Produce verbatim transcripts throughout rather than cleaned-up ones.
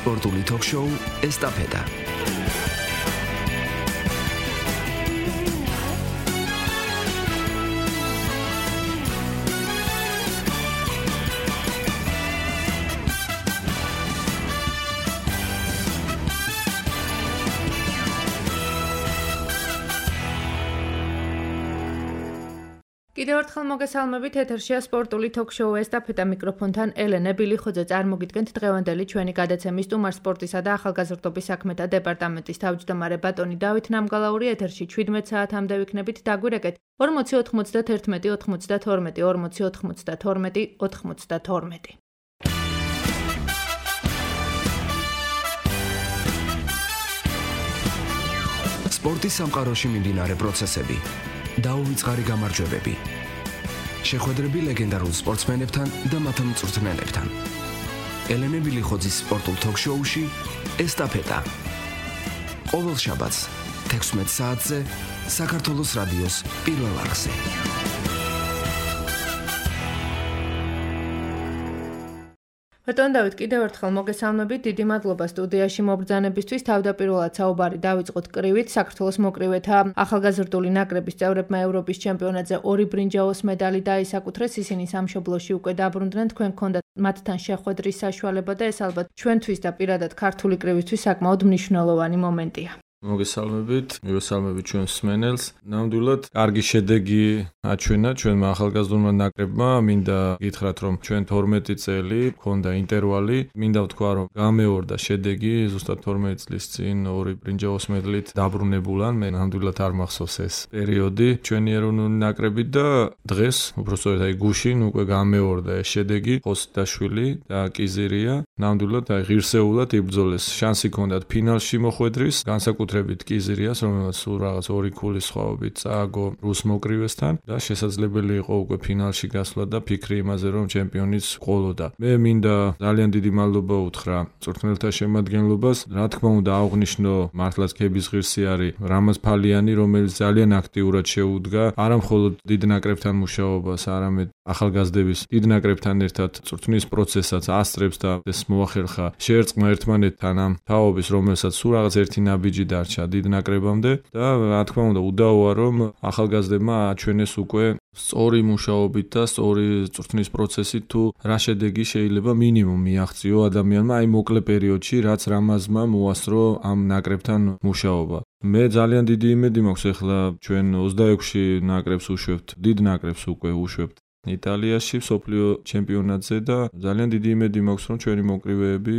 სპორტული თოქ-შოუ ესტაფეტა. კიდევ ერთხელ მოგესალმებით, ეთერშია სპორტული თოქ-შოუ ესტაფეტა, მიკროფონთან ელენე ბილიხოძე. წარმოგიდგენთ დღევანდელი ჩვენი გადაცემის სტუმარ სპორტისა და ახალგაზრდობის საქმეთა დეპარტამენტის თავმჯდომარე ბატონი დავით ნამგალაური. ეთერში ჩვიდმეტ საათამდე ვიქნებით, დაგვირეკეთ ორმოცი ოთხმოცდათერთმეტი ოთხმოცდათორმეტი ორმოცი ოთხმოცდათორმეტი ოთხმოცდათორმეტი. სპორტის სამყაროში მიმდინარე პროცესები. დაუვიწყარი გამარჯვებები. შეხვედრები ლეგენდარულ სპორტსმენებთან და მათ მწვრთნელებთან. ელენე ბილიხოძის სპორტულ თოქ-შოუში ესტაფეტა. ყოველ შაბათს თექვსმეტ საათზე საქართველოს რადიოს პირველ არხზე. ბატონ დავით, კიდევ ერთხელ მოგესალმებით, დიდი მადლობა სტუდიაში მობრძანებისთვის. თავდაპირველად საუბარი დავიწყოთ კრივით. საქართველოს მოკრივეთა ახალგაზრდული ნაკრების წევრებმა ევროპის ჩემპიონატზე ორი ბრინჯაოს медаლი დაისაკუთრეს. ისინი სამშობლოში უკვე დაბრუნდნენ. თქვენ გქონდათ მათთან შეხვედრის საშუალება და ეს ალბათ ჩვენთვის და პირადად ქართული კრივისთვის საკმაოდ მნიშვნელოვანი მომენტია. მოგესალმებით, მივესალმებით ჩვენს მსმენელს. ნამდვილად კარგი შედეგი აჩვენა ჩვენმა ახალგაზრდულმა ნაკრებმა. მინდა გითხრათ, რომ ჩვენ თორმეტი წელი გქონდა ინტერვალი. მინდა ვთქვა, რომ გამეორდა შედეგი ზუსტად თორმეტი წლის წინ ორი ბრინჯაოს მედლით დაბრუნებულან. მე ნამდვილად არ მახსოვს ეს პერიოდი ჩვენი ეროვნული ნაკრები და დღეს უბრალოდ აი გუშინ უკვე გამეორდა ეს შედეგი. ხოსიდაშვილი და კიზირია ნამდვილად აი ღირსეულად იბრძოლეს. შანსი ჰქონდათ ფინალში მოხვედრის, განსაკუთრებით კიზირიას, რომელსაც სულ რაღაც ორი ქულის სხვაობით წააგო რუს მოკრივესთან და შესაძლებელი იყო უკვე ფინალში გასვლა და ფიქრი იმაზე, რომ ჩემპიონიც ყოლოდა. მე მინდა ძალიან დიდი მადლობა უთხრა მწვრთნელთა შემადგენლობას. რა თქმა უნდა, აღვნიშნო მართლაც ქების ღირსი არის რამაზ ფალიანი, რომელიც ძალიან აქტიურად შეუდგა არა მხოლოდ დიდ ნაკრებთან მუშაობას, არამედ ახალგაზრდების დიდ ნაკრებთან ერთად წვრთნის პროცესსაც ასწრებს და ეს მოახერხა შეერწყმა ერთმანეთთან ამ თაობის, რომელსაც სულ რაღაც ერთი ნაბიჯი დარჩა დიდ ნაკრებამდე და რა თქმა უნდა უდაოა, რომ ახალგაზრდებმა აჩვენეს უკვე სწორი მუშაობით და სწორი წვრთნის პროცესით თუ რა შედეგი შეიძლება მინიმუმ მიაღწიო ადამიანმა აი მოკლე პერიოდში, რაც რამაზმა მოასწრო ამ ნაკრებთან მუშაობა. მე ძალიან დიდი იმედი მაქვს, ახლა ჩვენ ოცდაექვსი ნაკრებს უშვებთ, დიდ ნაკრებს უკვე უშვებთ იტალიაში მსოფლიო ჩემპიონატზე და ძალიან დიდი იმედი მაქვს, რომ ჩვენი მოკრივეები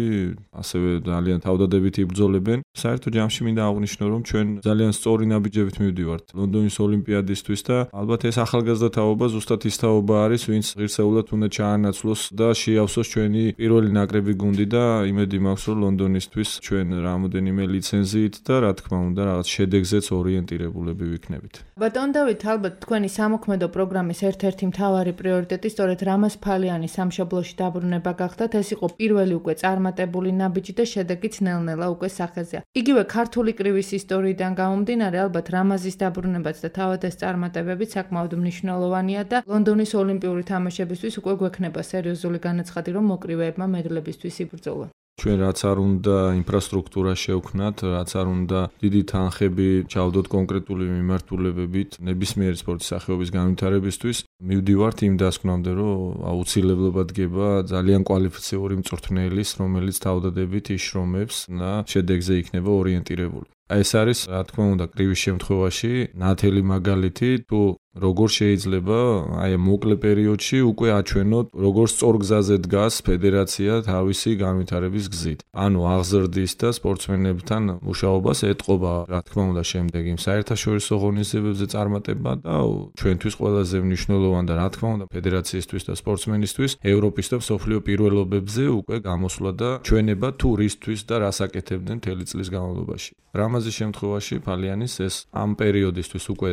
ასევე ძალიან თავდადებით იბრძოლებენ. საერთო ჯამში მინდა აღვნიშნო, რომ ჩვენ ძალიან სწორი ნაბიჯებით მივდივართ ლონდონის ოლიმპიადისთვის და ალბათ ეს ახალგაზრდა თაობა ზუსტად ის თაობა არის, ვინც ღირსეულად უნდა ჩაანაცვლოს და შეავსოს ჩვენი პირველი ნაკრები გუნდი და იმედი მაქვს, რომ ლონდონისთვის ჩვენ რამოდენიმე ლიცენზიით და რა თქმა უნდა რაღაც შედეგზეც ორიენტირებულები ვიქნებით. ბატონ დავით, ალბათ თქვენი სამოქმედო პროგრამის ერთ-ერთი მთავარი პრიორიტეტი სწორედ რამაზ ფალიანის სამშობლოში დაბრუნება გახდათ. ეს იყო პირველი უკვე წარმატებული ნაბიჯი და შედეგიც ნელ-ნელა უკვე სახეზეა. იგივე ქართული კრივის ისტორიიდან გამომდინარე, ალბათ რამაზის დაბრუნებაც და თავად ეს წარმატებებიც საკმაოდ მნიშვნელოვანია და ლონდონის ოლიმპიური თამაშებისთვის უკვე გვექნება სერიოზული განაცხადი, რომ მოკრივეებმა მედლებისთვის იბრძოლონ. ჩვენ რაც არ უნდა ინფრასტრუქტურა შევქნათ, რაც არ უნდა დიდი თანხები ჩავდოთ კონკრეტული მიმართულებებით ნებისმიერი სპორტის სახეობის განვითარებისთვის, მივდივართ იმ დასკვნამდე, რომ აუცილებლობა დგება ძალიან კვალიფიციური მწვრთნელის, რომელიც თავდადებით იშრომებს და შედეგზე იქნება ორიენტირებული. ეს არის, რა თქმა უნდა, კრივის შემთხვევაში ნათელი მაგალითი, თუ როგორ შეიძლება აი მოკლე პერიოდში უკვე აჩვენოთ, როგორ სწორ გზაზე დგას ფედერაცია თავისი განვითარების გზით. ანუ აღზრდის და სპორტსმენებთან მუშაობას ეტყობა, რა თქმა უნდა, შემდეგ იმ საერთაშორისო ღონისძიებებზე წარმატება და ჩვენთვის ყველაზე მნიშვნელოვანი და რა თქმა უნდა, ფედერაციისთვის და სპორტსმენისთვის ევროპის და მსოფლიო პირველობებზე უკვე გამოსვლა და ჩვენება თუ რისთვის და რას აკეთებდნენ მთელი წლის განმავლობაში. რამაზის შემთხვევაში ფალიანის ეს ამ პერიოდისთვის უკვე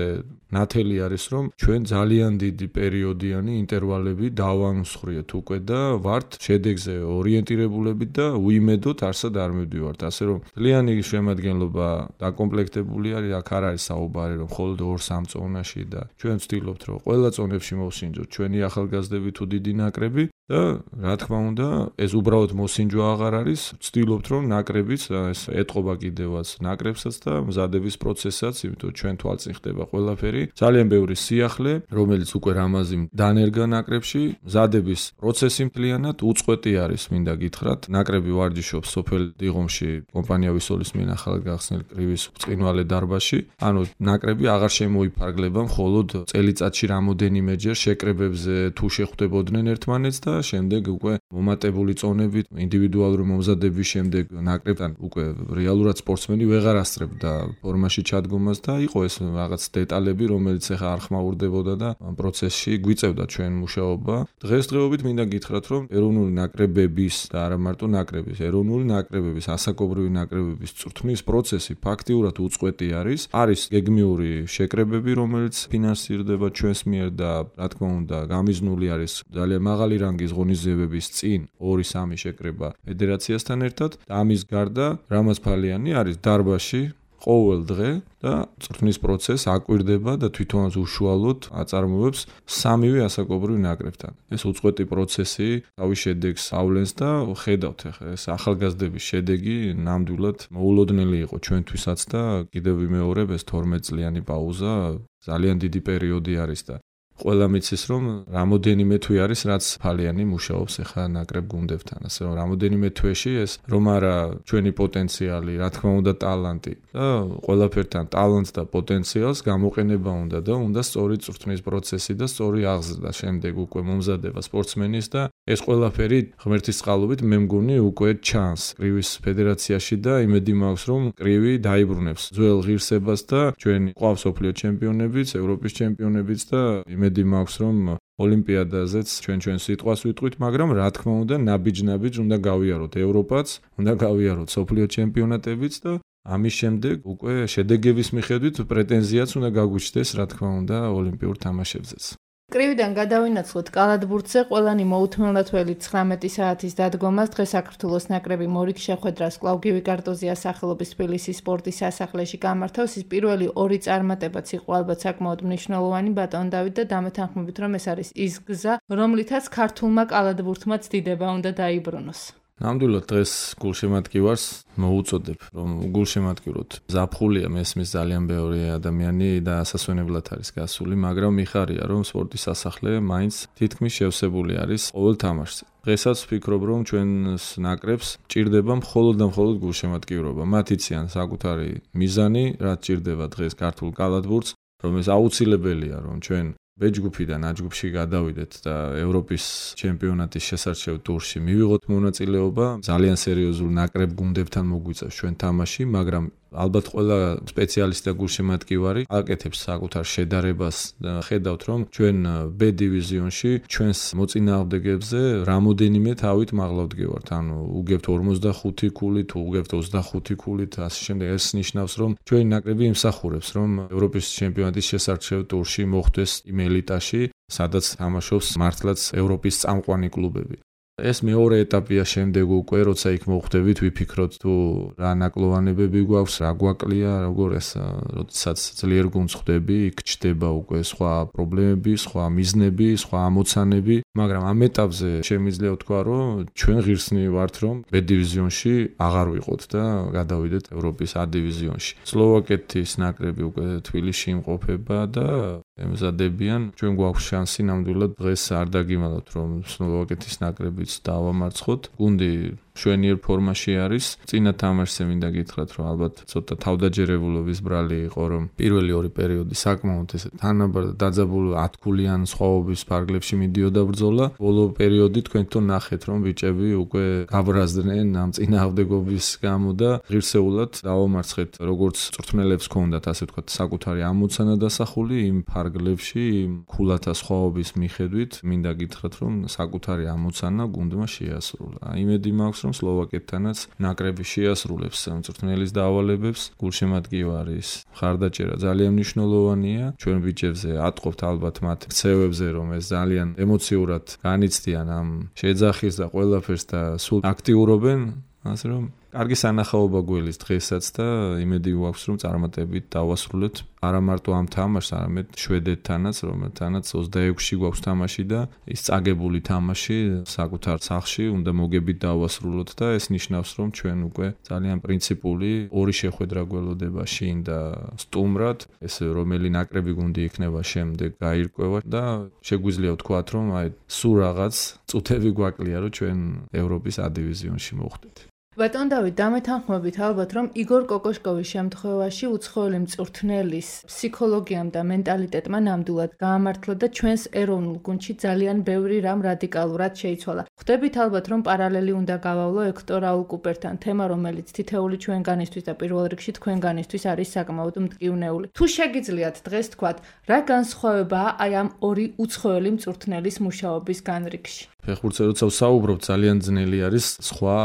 ნათელი არის რომ ჩვენ ძალიან დიდი პერიოდიანი ინტერვალები დავანსხვრიეთ უკვე და ვართ შედეგზე ორიენტირებულები და უიმედოდ არსად არ მივდივართ. ასე რომ ძალიან შემადგენლობა დაკომპლექტებული არის, აქ არ არის საუბარი რომ მხოლოდ ორ სამ წონაში და ჩვენ ვცდილობთ რომ ყველა წონებში მოვსინჯოთ ჩვენი ახალგაზრდები თუ დიდი ნაკრები და რა თქმა უნდა ეს უბრალოდ მოსინჯვა აღარ არის, ვცდილობთ რომ ნაკრებიც ეს ეტყობა კიდევაც ნაკრებსაც და მზადების პროცესსაც, იმიტომ ჩვენ თვალწინ ხდება ყველაფერი. ძალიან ბევრი სიახლე, რომელიც უკვე რამაზი დანერგა ნაკრებში, მზადების პროცესი მთლიანად უწყვეტი არის, მინდა გითხრათ. ნაკრები ვარჯიშობს სოფელ დიღომში, კომპანია ვისოლის მიერ ახალ გახსნილ კრივის ბრწყინვალე დარბაზში. ანუ ნაკრები აღარ შემოიფარგლება მხოლოდ წელიწადში რამოდენიმეჯერ შეკრებებზე თუ შეხვდებოდნენ ერთმანეთს და შემდეგ უკვე მომატებული წონებით ინდივიდუალური მომზადების შემდეგ ნაკრებთან უკვე რეალურად სპორტსმენი ვეღარ ასწრებდა ფორმაში ჩადგომას და იყო ეს რაღაც დეტალები, რომელიც ახლა არ ხმაურდებოდა და ამ პროცესში გვიწევდა ჩვენ მუშაობა. დღესდღეობით მინდა გითხრათ, რომ ეროვნული ნაკრებების და არა მარტო ნაკრების, ეროვნული ნაკრებების, ასაკობრივი ნაკრებების წვრთნის პროცესი ფაქტიურად უწყვეტი არის. არის გეგმიური შეკრებები, რომელიც ფინანსირდება ჩვენს მიერ და რა თქმა უნდა, გამიზნული არის ძალიან მაღალი რანგის ღონისძიებების წინ ორი სამი შეკრება ფედერაციასთან ერთად და ამის გარდა რამაზფალიანი არის დარბაზში ყოველ დღე და წვრთნის პროცესს აკვირდება და თვითონაც უშუალოდ აწარმოებს სამივე ასაკობრივ ნაკრებთან. ეს უწყვეტი პროცესი თავის შედეგს ავლენს და ხედავთ ახლა ეს ახალგაზრდების შედეგი ნამდვილად მოულოდნელი იყო ჩვენთვისაც და კიდევ ვიმეორებ ეს თორმეტ წლიანი პაუზა ძალიან დიდი პერიოდი არის და ყველა მიცის რომ რამოდენიმე თვე არის რაც ფალიანი მუშაობს ახლა ნაკრებ გუნდებთან, ასე რომ რამოდენიმე თვეში ეს რომ არა ჩვენი პოტენციალი, რა თქმა უნდა ტალანტი და ყველაფერთან ტალანტს და პოტენციალს გამოყენება უნდა და უნდა სწორი წვრთნის პროცესი და სწორი აღზრდა შემდეგ უკვე მომზადება სპორტსმენის და ეს ყველაფერი ღმერთის წყალობით მე მგონი უკვე ჩანს კრივის ფედერაციაში და იმედი მაქვს რომ კრივი დაიბრუნებს ძველ ღირსებას და ჩვენი ყავს სოფლიო ჩემპიონებიც, ევროპის ჩემპიონებიც და იმედი მაქვს რომ ოლიმპიადაზეც ჩვენ ჩვენ სიტყვას ვიტყვით, მაგრამ რა თქმა უნდა ნაბიჯ-ნაბიჯ უნდა გავიაროთ ევროპაც, უნდა გავიაროთ სოფლიო ჩემპიონატებიც და ამის შემდეგ უკვე შედეგების მიხედვით პრეტენზიაც უნდა გაგვიჩნდეს რა თქმა უნდა ოლიმპიურ თამაშებზეც. კრივიდან გადავინაცვლოთ კალათბურთზე, ყველანი მოუთმელნათველი ცხრამეტი საათის დადგომას დღეს საქართველოს ნაკრები მორიგ შეხვედრას კვლავ გივი კარტოზია სახელობის თბილისის სპორტის სასახლეში გამართავს. ის პირველი ორი წარმატებაც იყო ალბათ საკმაოდ მნიშვნელოვანი ბატონ დავით და დამეთანხმებით რომ ეს არის ის გზა, რომლითაც ქართულმა კალათბურთმა ცდიდება უნდა დაიბრუნოს. ნამდვილად დღეს გულშემატკივარს მოუწოდებ, რომ გულშემატკივროთ. ზაფხულია მესმის ძალიან ბევრი ადამიანი და ასასვენებლად არის გასული, მაგრამ მიხარია, რომ სპორტის სასახლე მაინც თითქმის შევსებული არის ყოველ თამაშზე. დღესაც ვფიქრობ, რომ ჩვენს ნაკრებს ჭირდება მხოლოდ და მხოლოდ გულშემატკივრობა. მათ იციან საკუთარი მიზანი, რაც ჭირდება დღეს ქართულ კალათბურთს, რომ ეს აუცილებელია, რომ ჩვენ ბეჯგუფიდან აჯგუფში გადავიდეთ და ევროპის ჩემპიონატის შესარჩევ ტურში მივიღოთ მონაწილეობა. ძალიან სერიოზულ ნაკრებ გუნდებთან მოგვიწევს ჩვენ თამაში, მაგრამ ალბათ ყველა სპეციალისტი და გულშემატკივარი აკეთებს საკუთარ შედარებას და ხედავთ რომ ჩვენ B დივიზიონში ჩვენს მოწინააღმდეგეებზე რამოდენიმე თავით მაღლა ვდგევართ. ანუ უგებთ ორმოცდახუთი ქულით, თუ უგებთ ოცდახუთი ქულით, ასე შემდეგ. ეს ნიშნავს რომ ჩვენი ნაკრები იმსახურებს რომ ევროპის ჩემპიონატის შესარჩევ ტურში მოხვდეს იმ ელიტაში, სადაც თამაშობს მართლაც ევროპის წამყვანი კლუბები. ეს მეორე ეტაპია შემდეგ უკვე, როცა იქ მოხვდებით, ვიფიქროთ თუ რა ნაკლოვანებები გვაქვს, რა გვაკლია, როგორ ეს, როდესაც ძლიერ გუნდს ხვდები, იქ ჩდება უკვე სხვა პრობლემები, სხვა მიზნები, სხვა ამოცანები, მაგრამ ამ ეტაპზე შემიძლია ვთქვა, რომ ჩვენ ღირსნი ვართ, რომ B დივიზიონში აღარ ვიყოთ და გადავიდეთ ევროპის A დივიზიონში. სლოვაკეთის ნაკრები უკვე თბილისში იმყოფება და ემზადებიან. ჩვენ გვაქვს შანსი ნამდვილად დღეს არ დაგიმალავთ, რომ სლოვაკეთის ნაკრებიც დავამარცხოთ. გუნდი შვენიერ ფორმაში არის. წინა თამაშზე მინდა გითხრათ, რომ ალბათ ცოტა თავდაჯერებულობის ბრალი იყო, რომ პირველი ორი პერიოდი საკმაოდ ესე თანაბარ და დაძაბული ათქულიან სხვაობის ფარგლებში მიდიოდა ბრძოლა. ბოლო პერიოდი თქვენ თვითონ ნახეთ, რომ ბიჭები უკვე გაბრაზდნენ ამ წინააღმდეგობის გამო და ღირსეულად დავამარცხეთ, როგორც წვრთნელებს ჰქონდათ, ასე ვთქვათ, საკუთარი ამოცანა დასახული იმ ფარგლებში, იმ ქულათა სხვაობის მიხედვით. მინდა გითხრათ, რომ საკუთარი ამოცანა გუნდმა შეასრულა. იმედი მაქვს, რომ სლოვაკეთთანაც ნაკრები შეასრულებს მწვრთნელის დავალებებს, გულშემატკივარის მხარდაჭერა ძალიან მნიშვნელოვანია. ჩვენ ბიჭებზე ატყობთ ალბათ მათ ქცევებზე, რომ ეს ძალიან ემოციურად განიცდიან ამ შეძახის და ყველაფერს და სულ აქტიურობენ, ასე რომ კარგი სანახაობა გველის დღესაც და იმედი გვაქვს რომ წარმატებით დავასრულეთ არა მარტო ამ თამაშს, არამედ შვედეთთანაც, რომელთანაც ოცდაექვსში გვაქვს თამაში და ის წაგებული თამაში საკუთარ სახლში უნდა მოგებით დავასრულოთ და ეს ნიშნავს რომ ჩვენ უკვე ძალიან პრინციპული ორი შეხვედრა გველოდება შინ და სტუმრად, ეს რომელი ნაკრები გუნდი იქნება შემდეგ გაირკვევა და შეგვიძლია ვთქვათ რომ აი სულ რაღაც წუთები გვაკლია რომ ჩვენ ევროპის A დივიზიონში მოვხდეთ. ბატონ დავით, დამეთანხმებით ალბათ, რომ იგორ კოკოშკოვის შემთხვევაში უცხოელი მწვრთნელის ფსიქოლოგიამ და მენტალიტეტმა ნამდვილად გაამართლა და ჩვენს ეროვნულ გუნდში ძალიან ბევრი რამ რადიკალურად შეიცვალა. ხვდებით ალბათ, რომ პარალელი უნდა გავავლო ექტორ რაულ კუპერთან, თემა, რომელიც თითეული ჩვენგანისთვის და პირველ რიგში თქვენგანისთვის არის საკმაოდ მტკივნეული. თუ შეგიძლიათ დღეს თქვათ, რა განსხვავებაა აი ამ ორი უცხოელი მწვრთნელის მუშაობის განრიგში? ფეხბურთზე როცა ვსაუბრობ, ძალიან ძნელი არის სხვა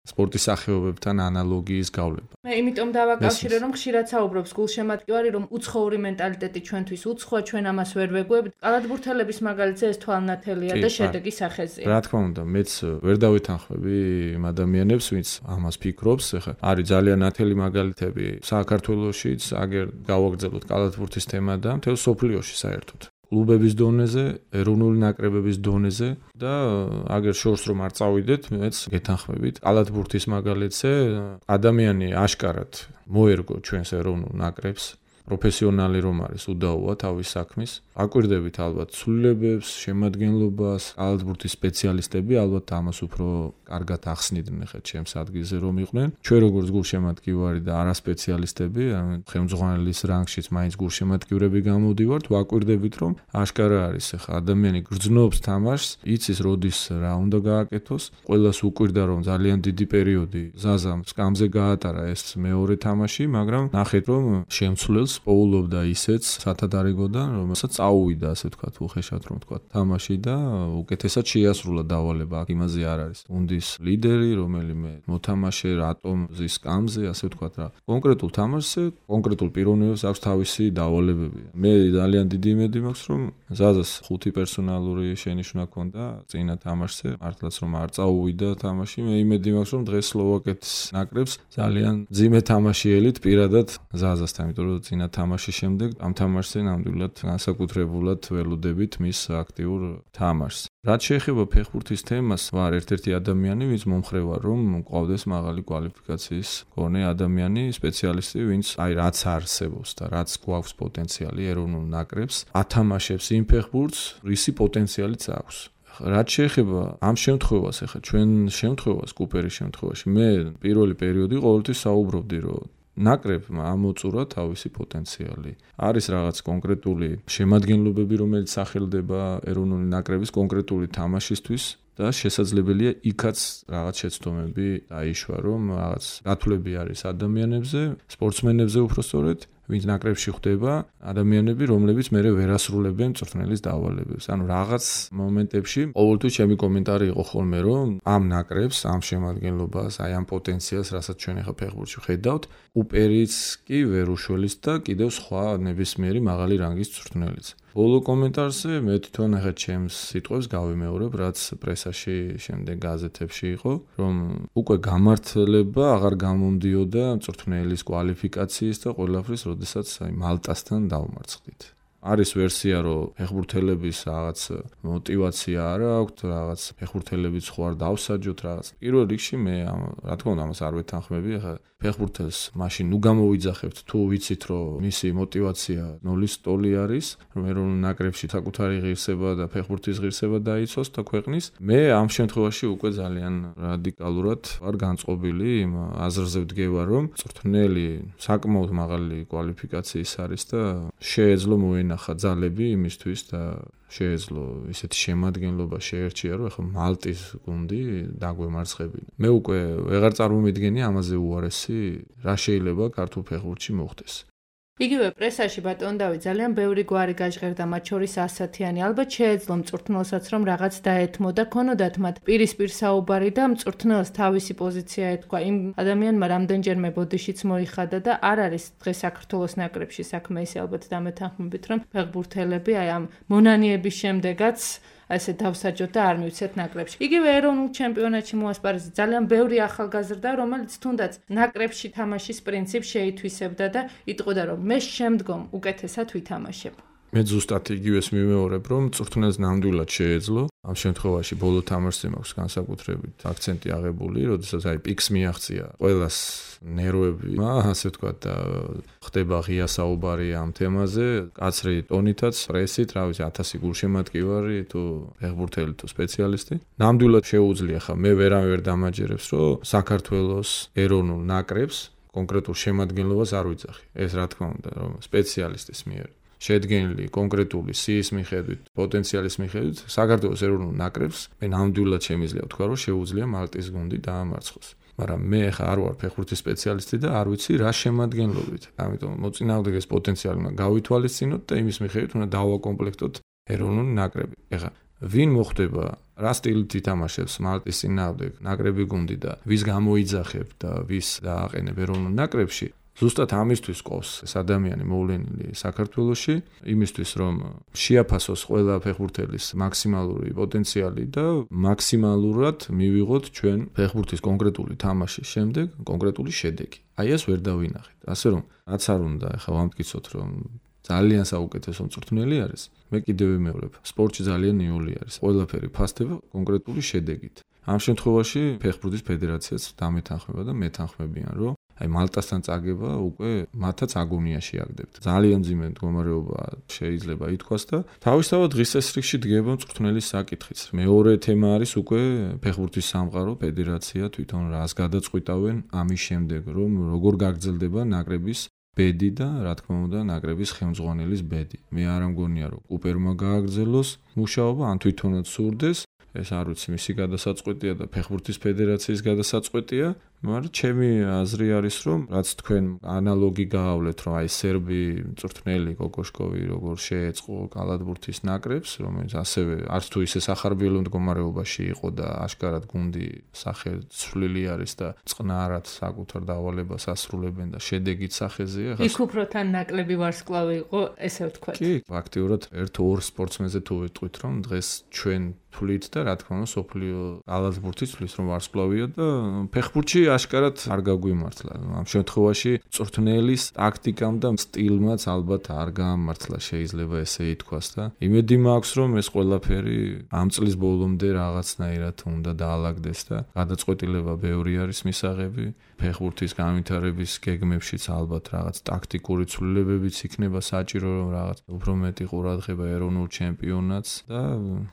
სპორტის სახეობებთან ანალოგიის გავლება. მე იმიტომ დავაკავშირე, რომ ხშირად საუბრობს გულშემატკივარი, რომ უცხოური მენტალიტეტი ჩვენთვის უცხოა, ჩვენ ამას ვერ ვეგუებთ. კალათბურთელების მაგალითზე ეს თვალნათელია და შედეგი სახეზეა. რა თქმა უნდა, მეც ვერ დავეთანხმები იმ ადამიანებს, ვინც ამას ფიქრობს. ეხლა არის ძალიან ნათელი მაგალითები საქართველოშიც, აგერ გავაგრძელოთ კალათბურთის თემა და მთელ სოფლიოში საერთოდ. კლუბების დონეზე, ეროვნული ნაკრებების დონეზე და აგერ შორს რომ არ წავიდეთ, მეც გეთანხმებით. კალათბურთის მაგალითზე ადამიანი აშკარად მოერგო ჩვენს ეროვნულ ნაკრებს, პროფესიონალი რომ არის უდაოა თავის საქმის. აკვირდებით ალბათ ცვლილებებს, შემადგენლობას, კალათბურთის სპეციალისტები ალბათ ამას უფრო კარგად ახსნიდნენ ხა ჩემს ადგილზე რომ იყვნენ. ჩვენ როგორც გულშემატკივარი და არასპეციალისტები, ხელმძღვანელის რანგშიც მაინც გულშემატკივრები გამოვდივართ, ვაკვირდებით რომ აშკარა არის ხა ადამიანი გრძნობს თამაშს, იცის როდის რა უნდა გააკეთოს. ყველას უკვირდა რომ ძალიან დიდი პერიოდი ზაზამ სკამზე გაატარა ეს მეორე თამაში, მაგრამ ნახეთ რომ შემცვლელს პოულობდა ისეც სათადარიგოდან, რომელსაც წაუვიდა, ასე ვთქვათ, უხეშად რომ ვთქვათ, თამაში და უკეთესად შეასრულა დავალება. აქ იმაზე არ არის. გუნდის ლიდერი, რომელიმე მოთამაშე რატომზის სკამზე, ასე ვთქვათ რა. კონკრეტულ თამაშზე, კონკრეტულ პიროვნებას აქვს თავისი დავალებები. მე ძალიან დიდი იმედი მაქვს, რომ ზაზას ხუთი პერსონალური შენიშვნა ჰქონდა წინა თამაშზე, მართლაც რომ არ წაუვიდა თამაში. მე იმედი მაქვს, რომ დღეს სლოვაკეთის ნაკრებს ძალიან ძიმე თამაშიელით პირადად ზაზასთან, იმიტომ რომ წინა თამაშის შემდეგ ამ თამაშზე ნამდვილად განსაკუთრებულად ველოდებით მის აქტიურ თამაშს. რაც შეეხება ფეხბურთის თემას, ვარ ერთ-ერთი ადამიანი, ვინც მომხრევა რომ მყავდეს მაღალი კვალიფიკაციის მქონე ადამიანი, სპეციალისტი, ვინც აი რაც არსებობს და რაც გვაქვს პოტენციალი ეროვნულ ნაკრებს, ათამაშებს იმ ფეხბურთს, რისი პოტენციალიც აქვს. რაც შეეხება ამ შემთხვევას, ახლა ჩვენ შემთხვევას, კუპერის შემთხვევაში, მე პირველი პერიოდი ყოველთვის საუბრობდი, რომ ნაკრებმა ამოწურა თავისი პოტენციალი. არის რაღაც კონკრეტული შემადგენლობები, რომელიც სახელდება ეროვნული ნაკრების კონკრეტული თამაშისთვის და შესაძლებელია იქაც რაღაც შეცდომები დაიშვა, რომ რაღაც გათვლები არის ადამიანებზე, სპორტსმენებზე უпростоრეთ, ვინც ნაკრებში ხვდება, ადამიანები, რომლებიც მერე ვერ ასრულებენ მწვრთნელის დავალებებს. ანუ რაღაც მომენტებში ყოველთვის ჩემი კომენტარი იყო ხოლმე, რომ ამ ნაკრებს, ამ შემადგენლობას, აი ამ პოტენციალს, რასაც ჩვენ ახლა ფეხბურთში ხედავთ, უპერიც კი ვერ უშველის და კიდევ სხვა ნებისმიერი მაღალი რანგის მწვრთნელიც. ბოლო კომენტარზე მე თვითონ ახლა ჩემს სიტყვებს გავიმეორებ, რაც პრესაში, შემდეგ გაზეთებში იყო, რომ უკვე გამართლება აღარ გამომდიოდა მწვრთნელის კვალიფიკაციის და ყველაფრის, როდესაც აი მალტასთან დავმარცხდით. არის ვერსია, რომ ფეხბურთელების რაღაც мотиваცია არ აქვს, რაღაც ფეხბურთელების ხო არ დავსაჯოთ რაღაც. პირველ რიგში მე რა თქმა უნდა ამას არ ვეთანხმები, ახლა ფეხბურთელს მაშინ ნუ გამოვიძახებთ, თუ ვიცით, რომ მისი мотиваცია ნულის ტოლი არის, რომ ეროვნულ ნაკრებში საკუთარი ღირსება და ფეხბურთის ღირსება დაიცვას და ქვეყნის. მე ამ შემთხვევაში უკვე ძალიან რადიკალურად ვარ განწყობილი იმ აზრზე ვდგება, რომ მწვრთნელი საკმაოდ მაღალი კვალიფიკაციის არის და შეეძლო მოენახა ძალები იმისთვის და შეეძლო ისეთი შემადგენლობა შეერჩია, რომ ახლა მალტის გუნდი დაგვემარცხებინა. მე უკვე ვეღარ წარმომიდგენი ამაზე უარესი რა შეიძლება ქართულ ფეხბურთში მოხდეს. იგივე პრესაში ბატონ დავით ძალიან ბევრი გვარი გაჟღერდა, მათ შორის ასათიანი. ალბათ შეეძლო მწვრთნელსაც რომ რაღაც დაეთმო და ქონოდათ მათ პირისპირ საუბარი და მწვრთნელს თავისი პოზიცია ეთქვა. იმ ადამიანმა რამდენჯერმე ბოდიშიც მოიხადა და არ არის დღეს საქართველოს ნაკრებში საქმე ისე ალბათ დამეთანხმებით რომ ფეხბურთელები აი ამ მონანიების შემდეგაც ასე დავსაჯოთ და არ მივცეთ ნაკრებში. იგივე ეროვნულ ჩემპიონატში მოასპარეზე ძალიან ბევრი ახალგაზრდა, რომელიც თუნდაც ნაკრებში თამაშის პრინციპს შეითვისებდა და იტყოდა რომ მე შემდგომ უკეთესად ვითამაშებ. მე ზუსტად იგივეს მიმეორებ, რომ მწვრთნელს ნამდვილად შეეძლო. ამ შემთხვევაში ბოლო თამაშზე მაქვს განსაკუთრებით აქცენტი აღებული, როდესაც აი პიკს მიაღწია ყველას ნერვები, ასე ვთქვათ, და ხდება ღია საუბარი ამ თემაზე, კაცრი ტონითაც, პრესით, რა ვიცი, ათასი გულშემატკივარი თუ ფეხბურთელი თუ სპეციალისტი. ნამდვილად შეუძლია ხა მე ვერავინ ვერ დამაჯერებს, რომ საქართველოს ეროვნულ ნაკრებს კონკრეტულ შემადგენლობას არ ვიძახი. ეს რა თქმა უნდა, რომ სპეციალისტის მიერ შედგენილი კონკრეტული სიის მიხედვით, პოტენციალის მიხედვით, საქართველოს ეროვნულ ნაკრებს მე ნამდვილად შემიძლია ვთქვა, რომ შეუძლია მალტის გუნდი დაამარცხოს. მაგრამ მე ხა არ ვარ ფეხბურთის სპეციალისტი და არ ვიცი რა შემადგენლობით. ამიტომ მოწინააღმდეგეს პოტენციალი უნდა გავითვალისწინოთ და იმის მიხედვით უნდა დავაკომპლექტოთ ეროვნული ნაკრები. ეხლა ვინ მოხდება, რა სტილით ითამაშებს მალტის წინააღმდეგ ნაკრები გუნდი და ვის გამოიძახებ და ვის დააყენებ ეროვნულ ნაკრებში? ზუსტად ამისთვის ყავს ეს ადამიანი მოვლენილი საქართველოში, იმისთვის რომ შეაფასოს ყველა ფეხბურთელის მაქსიმალური პოტენციალი და მაქსიმალურად მივიღოთ ჩვენ ფეხბურთის კონკრეტული თამაშის შემდეგ კონკრეტული შედეგი. აი ეს ვერ დავინახეთ. ასე რომ რაც არ უნდა ახლა ვამტკიცოთ რომ ძალიან საუკეთესო მწვრთნელი არის, მე კიდევ ვიმეორებ, სპორტში ძალიან ნიული არის. ყველაფერი ფასდება კონკრეტული შედეგით. ამ შემთხვევაში ფეხბურთის ფედერაციაც დამეთანხმება და მეთანხმებიან, რომ აი მალტასთან წაგება უკვე მათაც აგონიაში აგდებთ. ძალიან მძიმე მდგომარეობა შეიძლება ითქვას და თავისთავად დღის წესრიგში დგება მწვრთნელის საკითხიც. მეორე თემა არის უკვე ფეხბურთის სამყარო, ფედერაცია თვითონ რას გადაწყვიტავენ ამის შემდეგ, რომ როგორ გაგრძელდება ნაკრების ბედი და რა თქმა უნდა ნაკრების ხელმძღვანელის ბედი. მე არ ამგონია რომ კუპერმა გააგრძელოს მუშაობა, ან თვითონაც სურდეს. ეს არ ვიცი მისი გადასაწყვეტია და ფეხბურთის ფედერაციის გადასაწყვეტია, მაგრამ ჩემი აზრი არის რომ რაც თქვენ ანალოგი გაავლეთ რომ აი სერბი მწვრთნელი კოკოშკოვი როგორ შეეწყო კალათბურთის ნაკრებს, რომელიც ასევე არც თუ ისე სახარბიელო მდგომარეობაში იყო და ашკარად გუნდი სახეცვლილი არის და წყნარად საკუთარ დავალებას ასრულებენ და შედეგით სახეზეა. იქ უფრო თან ნაკლები ვარსკვლავი იყო, ესე ვთქვათ. კი, ფაქტიურად ერთ-ორ სპორტსმენზე თუ ვიტყვით რომ დღეს ჩვენ თვლით და რა თქმა უნდა სოფლიო კალათბურთის თვლის რომ ვარსკვლავია და ფეხბურთში ашკარად არ გაგვიმართლა. ამ შემთხვევაში მწვრთნელის ტაქტიკამ და სტილმაც ალბათ არ გაამართლა, შეიძლება ესე ითქვას და იმედი მაქვს რომ ეს ყველაფერი ამ წლის ბოლომდე რაღაცნაირად უნდა დაალაგდეს და გადაწყვეტილება ბევრი არის მისაღები. ფეხბურთის განვითარების გეგმებშიც ალბათ რაღაც ტაქტიკური ცვლილებებიც იქნება საჭირო, რომ რაღაც უფრო მეტი ყურადღება ეროვნულ ჩემპიონატს და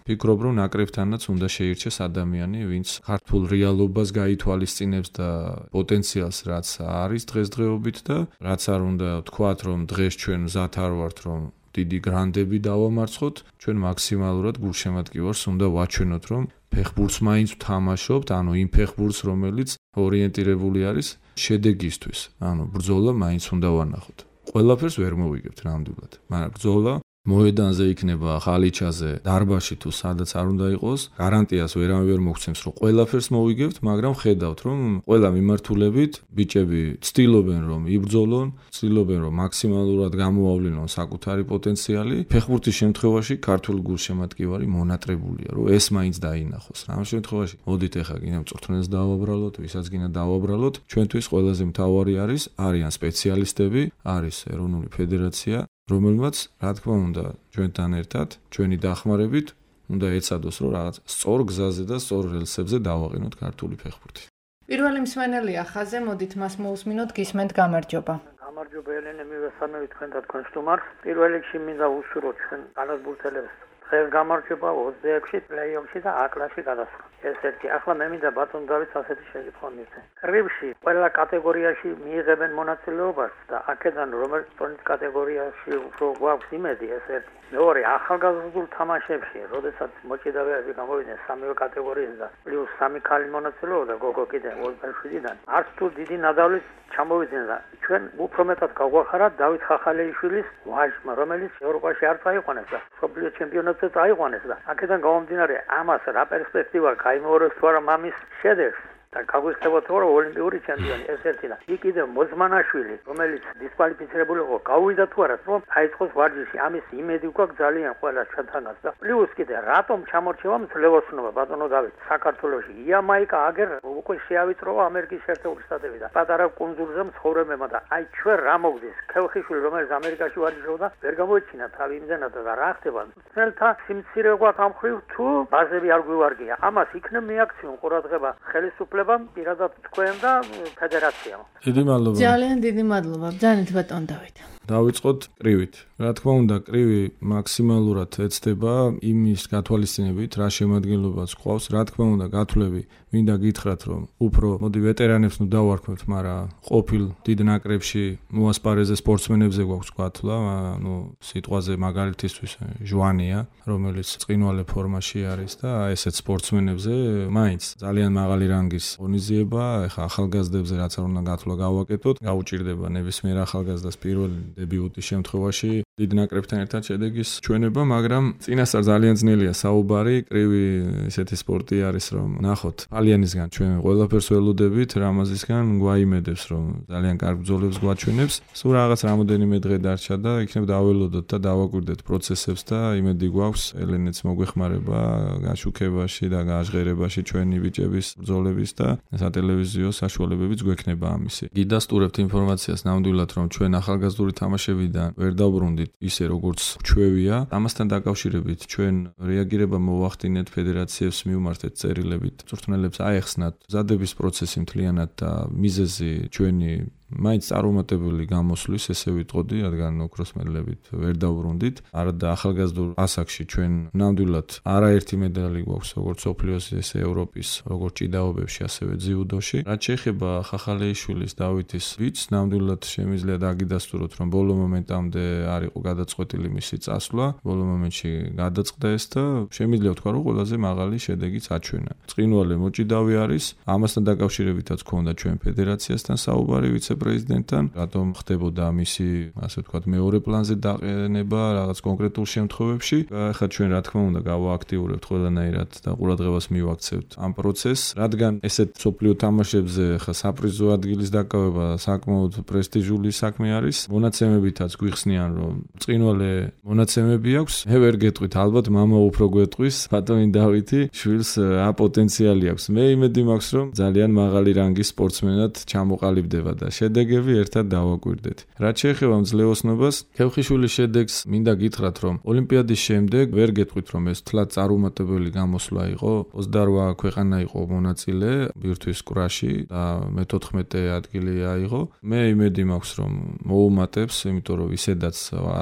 ფიქრობ რომ ნაკრებთანაც უნდა შეირჩეს ადამიანი, ვინც ქართულ რეალობას გაითვალისწინებს და პოტენციალს რაც არის დღესდღეობით და რაც არ უნდა ვთქვათ რომ დღეს ჩვენ მზად არ ვართ რომ დიდი გრანდები დავამარცხოთ, ჩვენ მაქსიმალურად გულშემატკივარს უნდა ვაჩვენოთ რომ ფეხბურთს მაინც ვთამაშობთ, ანუ იმ ფეხბურთს რომელიც ორიენტირებული არის შედეგისთვის, ანუ ბრძოლა მაინც უნდა ვანახოთ. ყველაფერს ვერ მოვიგებთ ნამდვილად, მაგრამ ბრძოლა მოედანზე იქნება, ხალიჩაზე, დარბაზში თუ სადაც არ უნდა იყოს, გარანტიას ვერავინ ვერ მოგცემს, რომ ყველაფერს მოვიგებთ, მაგრამ ხედავთ, რომ ყველა მიმართულებით ბიჭები ცდილობენ, რომ იბრძოლონ, ცდილობენ, რომ მაქსიმალურად გამოავლინონ საკუთარი პოტენციალი. ფეხბურთის შემთხვევაში ქართული გულშემატკივარი მონატრებულია, რომ ეს მაინც დაინახოს. ამ შემთხვევაში მოდით ახლა გინდა მწვრთნელს დავაბრალოთ, ვისაც გინდა დავაბრალოთ, ჩვენთვის ყველაზე მთავარი არის არიან სპეციალისტები, არის ეროვნული ფედერაცია, რომელმაც რა თქმა უნდა ჩვენთან ერთად ჩვენი დახმარებით უნდა ეცადოს რომ რაღაც სწორ გზაზე და სწორ რელსებზე დავაყენოთ ქართული ფეხბურთი. პირველი მსმენელია ხაზე, მოდით მას მოусმინოთ, გისმენთ, გამარჯობა. გამარჯობა ელენე, მივესალმებით თქვენ და თქვენ სტუმარს. პირველ რიგში მინდა უსურვოთ ჩვენ კალათბურთელებს დღეს გამარჯობა ოცდაექვსში პლეი-ოფში და აკრაში გადასვლა. ეს ერთი. ახლა მე მინდა ბატონ დავითს ასეთი შეკითხვა მივცე. კრივში ყველა კატეგორიაში მიიღებენ მონაწილეობას და აქედან რომელიც ტონის კატეგორიაში უფრო გვაქვს იმედი, ეს ერთი. მეორე, ახალგაზრდულ თამაშებში, როდესაც მოჭიდავეები გამოვიდნენ სამივე კატეგორიიდან და პლუს სამი ქალი მონაწილეობდა გოგო კიდე ოცდაშვიდიდან არც თუ დიდი ნადავლით ჩამოვიდნენ და ჩვენ უფრო მეტად გავგვახარათ დავით ხახალეიშვილის ვაჟმა, რომელიც ევროპაში არ წაიყვანეს და მსოფლიო ჩემპიონატზე წაიყვანეს და აქედან გამომდინარე ამას რა პერსპექტივა გაიმეორებს თუ არა მამის შედეგს და გაგვიხსენებათ რომ ოლიმპიური ჩემპიონი ეს ერთი და იქ კიდევ მოძმანაშვილი რომელიც დისკვალიფიცირებული იყო გავიდა თუ არა რომ აიწყოს ვარჯიში ამის იმედი გვაქვს ძალიან ყველა ჩვენთანაც და პლუს კიდე რატომ ჩამორჩება მძლეოსნობა ბატონო დავით საქართველოში იამაიკა აგერ უკვე შეავიწროვა ამერიკის შეერთებული შტატები და პატარა კუნძულზე მცხოვრებებმა და აი ჩვენ რა მოგდის ქელხიშვილი რომელიც ამერიკაში ვარჯიშობდა ვერ გამოიჩინა თავი იმდენად და რა ხდება თელთა სიმცირე გვაქვს ამ ხრივ თუ ბაზები არ გვივარგია ამას იქნებ მიაქციონ ყურადღება ხელისუფლება პირადად თქვენ და ფედერაციამ. დიდი მადლობა. ძალიან დიდი მადლობა. ბრძანეთ ბატონ დავით. დავიწყოთ კრივით. რა თქმა უნდა, კრივი მაქსიმალურად ეცდება იმის გათვალისწინებით, რა შემადგენლობაც ყავს. რა თქმა უნდა, გათვლები მინდა გითხრათ, რომ უფრო მოდი ვეტერანებს ნუ დავარქმევთ, მაგრამ ყოფილ დიდ ნაკრებში მოასპარეზე სპორტსმენებზე გვაქვს გათვლა, ну, სიტყვაზე მაგალითისთვის ჟვანია, რომელიც წინვალე ფორმაში არის და ესეც სპორტსმენებზე მაინც ძალიან მაღალი რანგის ღონისძიება, ეხა ახალგაზრდებზე რაც არ უნდა გათვლა გავაკეთოთ, გაუჭირდება ნებისმიერ ახალგაზრდას პირველი დებიუტის შემთხვევაში დიდ ნაკრებთან ერთად შედეგის ჩვენება, მაგრამ წინასწარ ძალიან ძნელია საუბარი, კრივი ესეთი სპორტი არის, რომ ნახოთ ალიანისგან ჩვენ ყველაფერს ველოდებით, რამაზისგან გვაიმედებს, რომ ძალიან კარგ ბრძოლებს გვაჩვენებს. სულ რაღაც რამოდენიმე დღე დარჩა და იქნებ დაველოდოთ და დავაკვირდეთ პროცესებს და იმედი გვაქვს ელენეც მოგვეხმარება გაშუქებაში და გაჟღერებაში ჩვენი ბიჭების ბრძოლების და სატელევიზიო საშუალებებიც გვექნება ამისი. გიდასტურებთ ინფორმაციას ნამდვილად, რომ ჩვენ ახალგაზრდული თამაშებიდან ვერ დავბრუნდით ისე როგორც ჩვევია. ამასთან დაკავშირებით ჩვენ რეაგირება მოვახდინეთ ფედერაციებს მივმართეთ წერილებით. მწვრთნელებს აეხსნათ მზადების პროცესი მთლიანად და მიზეზი ჩვენი მაინც წარუმატებელი გამოსვლის, ესე ვიტყოდი, რადგან ოქროსმედლებით ვერ დავბრუნდით. არა და ახალგაზრდულ ასაკში ჩვენ ნამდვილად არაერთი медаლი გვაქვს, როგორც სოფლიოს, ესე ევროპის, როგორც ჭიდაობებში, ასევე ძიუდოში. რაც შეეხება ხახალეიშვილის დავითის ვიცს, ნამდვილად შემიძლია დაგიდასტუროთ, რომ ბოლო მომენტამდე არ იყო გადაწყვეტილი მისი წასვლა. ბოლო მომენტში გადაწყდა ეს და შემიძლია ვთქვა, რომ ყველაზე მაღალი შედეგიც აჩვენა. წინვალე მოჭიდავი არის, ამასთან დაკავშირებითაც ქონდა ჩვენ ფედერაციასთან საუბარი ვიცე პრეზიდენტთან, რატომ ხდებოდა მისი, ასე ვთქვათ, მეორე პლანზე დაყენება რაღაც კონკრეტულ შემთხვევებში. ახლა ჩვენ რა თქმა უნდა გავააქტიურებთ ყველანაირად და ყურადღებას მივაქცევთ ამ პროცესს, რადგან ესეთ სოფლიო თამაშებზე ხა საპრიზო ადგილის დაკავება საკმაოდ პრესტიჟული საქმე არის. მონაცემებითაც გვიხსნიან, რომ წინვალე მონაცემები აქვს. მე ვერ გეტყვით, ალბათ მამა უფრო გვეტყვის, ბატონი დავითი შვილს რა პოტენციალი აქვს. მე იმედი მაქვს, რომ ძალიან მაღალი რანგის სპორტსმენად ჩამოყალიბდება და შედეგები ერთად დავაკვირდეთ. რაც შეეხება მძლეოსნობას, ქევხიშვილის შედეგს მინდა გითხრათ, რომ ოლიმპიადის შემდეგ ვერ გეტყვით, რომ ეს თლად წარუმატებელი გამოსვლა იყო. ოცდაორ ქვეყანა იყო მონაწილე ბირთვის კრაში და მეთოთხმეტე ადგილი აიღო. მე იმედი მაქვს, რომ მოუმატებს, იმიტომ რომ ისედაც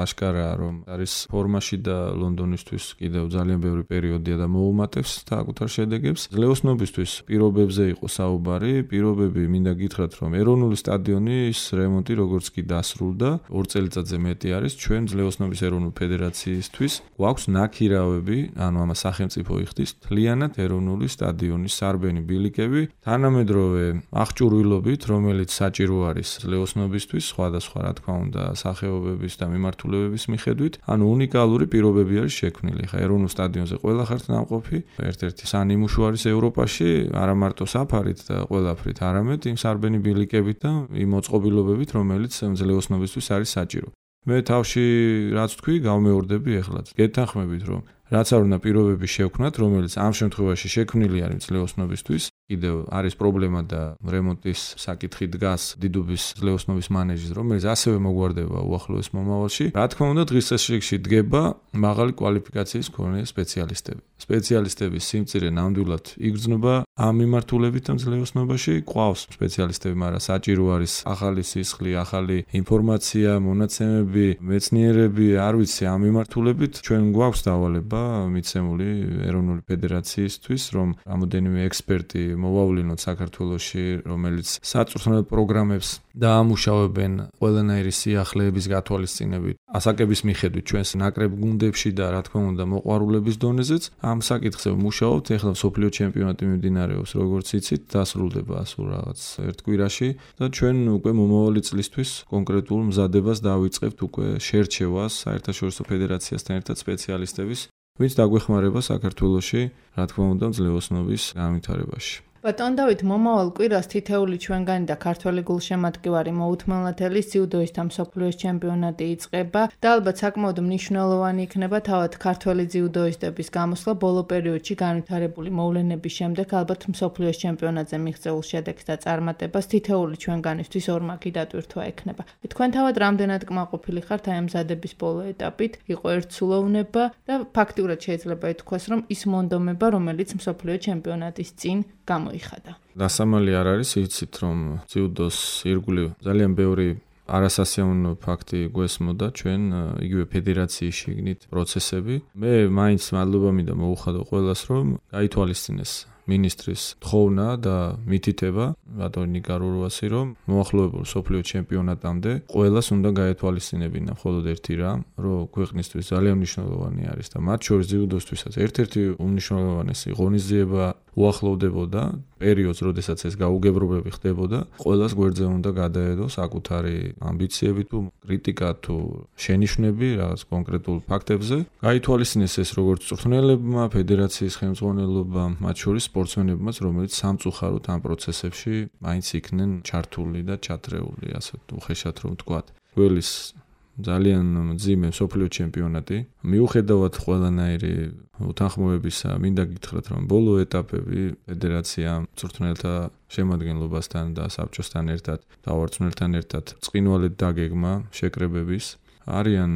აშკარაა, რომ არის ფორმაში და ლონდონისთვის კიდევ ძალიან ბევრი პერიოდია და მოუმატებს საკუთარ შედეგებს. მძლეოსნობისთვის პირობებზე იყო საუბარი, პირობები მინდა გითხრათ, რომ ეროვნული სტადიონის რემონტი როგორც კი დასრულდა, ორ წელიწადზე მეტი არის ჩვენ მძლეოსნობის ეროვნული ფედერაციისთვის. გვაქვს ნაქირავები, ანუ ამა სახელმწიფო იხდის მთლიანად ეროვნული სტადიონის სარბენი ბილიკები, თანამედროვე აღჭურვილობით, რომელიც საჭირო არის მძლეოსნობისთვის, სხვადასხვა რა თქმა უნდა სახეობების და მიმართულებების მიხედვით, ანუ უნიკალური პირობები არის შექმნილი. ხა ეროვნულ სტადიონზე ყველა ხართ ნამყოფი, ერთ-ერთი სანიმუშო არის ევროპაში, არა მარტო საფარით და ყველაფრით, არამედ იმ სარბენი ბილიკებით და იმ მოწყობილობებით, რომელიც მძლეოსნობისთვის არის საჭირო. მე თავში რაც თქვი, გავმეორდები ეხლაც. გეთანხმებით, რომ რაც არ უნდა პირობები შევქმნათ, რომელიც ამ შემთხვევაში შექმნილი არის მძლეოსნობისთვის, კიდევ არის პრობლემა და რემონტის საკითხი დგას დიდუბის მძლეოსნობის მანეჟის, რომელიც ასევე მოგვარდება უახლოეს მომავალში. რა თქმა უნდა, დღის წესრიგში დგება მაღალი კვალიფიკაციის მქონე სპეციალისტები. სპეციალისტების სიმწირე ნამდვილად იგრძნობა ამ მიმართულებით მძლეოსნობაში. ყავს სპეციალისტები, მაგრამ საჭირო არის ახალი სისხლი, ახალი ინფორმაცია, მონაცემები, მეცნიერები, არ ვიცი ამ მიმართულებით ჩვენ გვაქვს დავალება წოდება მიცემული ეროვნული ფედერაციისთვის, რომ რამოდენიმე ექსპერტი მოვავლინოთ საქართველოში, რომელიც საწვრთნელ პროგრამებს დაამუშავებენ ყველანაირი სიახლეების გათვალისწინებით, ასაკების მიხედვით ჩვენს ნაკრებ გუნდებში და რა თქმა უნდა მოყვარულების დონეზეც. ამ საკითხზე ვმუშაობთ. ეხლა მსოფლიო ჩემპიონატი მიმდინარეობს, როგორც იცით, დასრულდება სულ რაღაც ერთ კვირაში და ჩვენ უკვე მომავალი წლისთვის კონკრეტულ მზადებას დავიწყებთ უკვე შერჩევას საერთაშორისო ფედერაციასთან ერთად სპეციალისტების, ვინც დაგვეხმარება საქართველოში, რა თქმა უნდა, ძლევოსნობის განვითარებაში. ბატონ დავით, მომავალ კვირას თითეული ჩვენგანი და ქართველი გულშემატკივარი მოუთმელნათელის ძიუდოისტთა მსოფლიოს ჩემპიონატი იწყება და ალბათ საკმაოდ მნიშვნელოვანი იქნება თავად ქართველი ძიუდოისტების გამოსვლა ბოლო პერიოდში განვითარებული მოვლენების შემდეგ ალბათ მსოფლიოს ჩემპიონატზე მიღწეულ შედეგს და წარმატებას თითეული ჩვენგანისთვის ორმაგი დატვირთვა ექნება. თქვენ თავად რამდენად კმაყოფილი ხართ აი ამ მზადების ბოლო ეტაპით? იყო ერთსულოვნება და ფაქტიურად შეიძლება ითქვას, რომ ის მონდომება, რომელიც მსოფლიო ჩემპიონატის წინ გამოიხადა. დასამალი არ არის, იცით, რომ ძიუდოს ირგვლივ ძალიან ბევრი არასასიამოვნო ფაქტი გვესმოდა ჩვენ იგივე ფედერაციის შიგნით პროცესები. მე მაინც მადლობა მინდა მოუხადო ყველას, რომ გაითვალისწინეს მინისტრის თხოვნა და მითითება ბატონ ნიკარურვასი, რომ მოახლოებულ მსოფლიო ჩემპიონატამდე ყველას უნდა გაეთვალისწინებინა მხოლოდ ერთი რამ, რომ ქვეყნისთვის ძალიან მნიშვნელოვანი არის და მათ შორის ძიუდოსთვისაც ერთ-ერთი უმნიშვნელოვანესი ღონისძიება უახლოვდებოდა პერიოდს, როდესაც ეს გაუგებრობები ხდებოდა, ყველას გვერდზე უნდა გადაედო საკუთარი ამბიციები თუ კრიტიკა თუ შენიშვნები რაღაც კონკრეტულ ფაქტებზე. გაითვალისწინეს ეს როგორც წვრთნელებმა, ფედერაციის ხელმძღვანელობამ, მათ შორის სპორტსმენებმაც, რომელიც სამწუხაროდ ამ პროცესებში მაინც იქნენ ჩართული და ჩათრეული, ასე უხეშად რომ ვთქვათ. გველის ძალიან მძიმე მსოფლიო ჩემპიონატი. მიუხედავად ყველანაირი უთანხმოებისა, მინდა გითხრათ, რომ ბოლო ეტაპები ფედერაციამ წვრთნელთა შემადგენლობასთან და საბჭოსთან ერთად, დავარწმუნებთან ერთად წყინვალედ დაგეგმა შეკრებების. არიან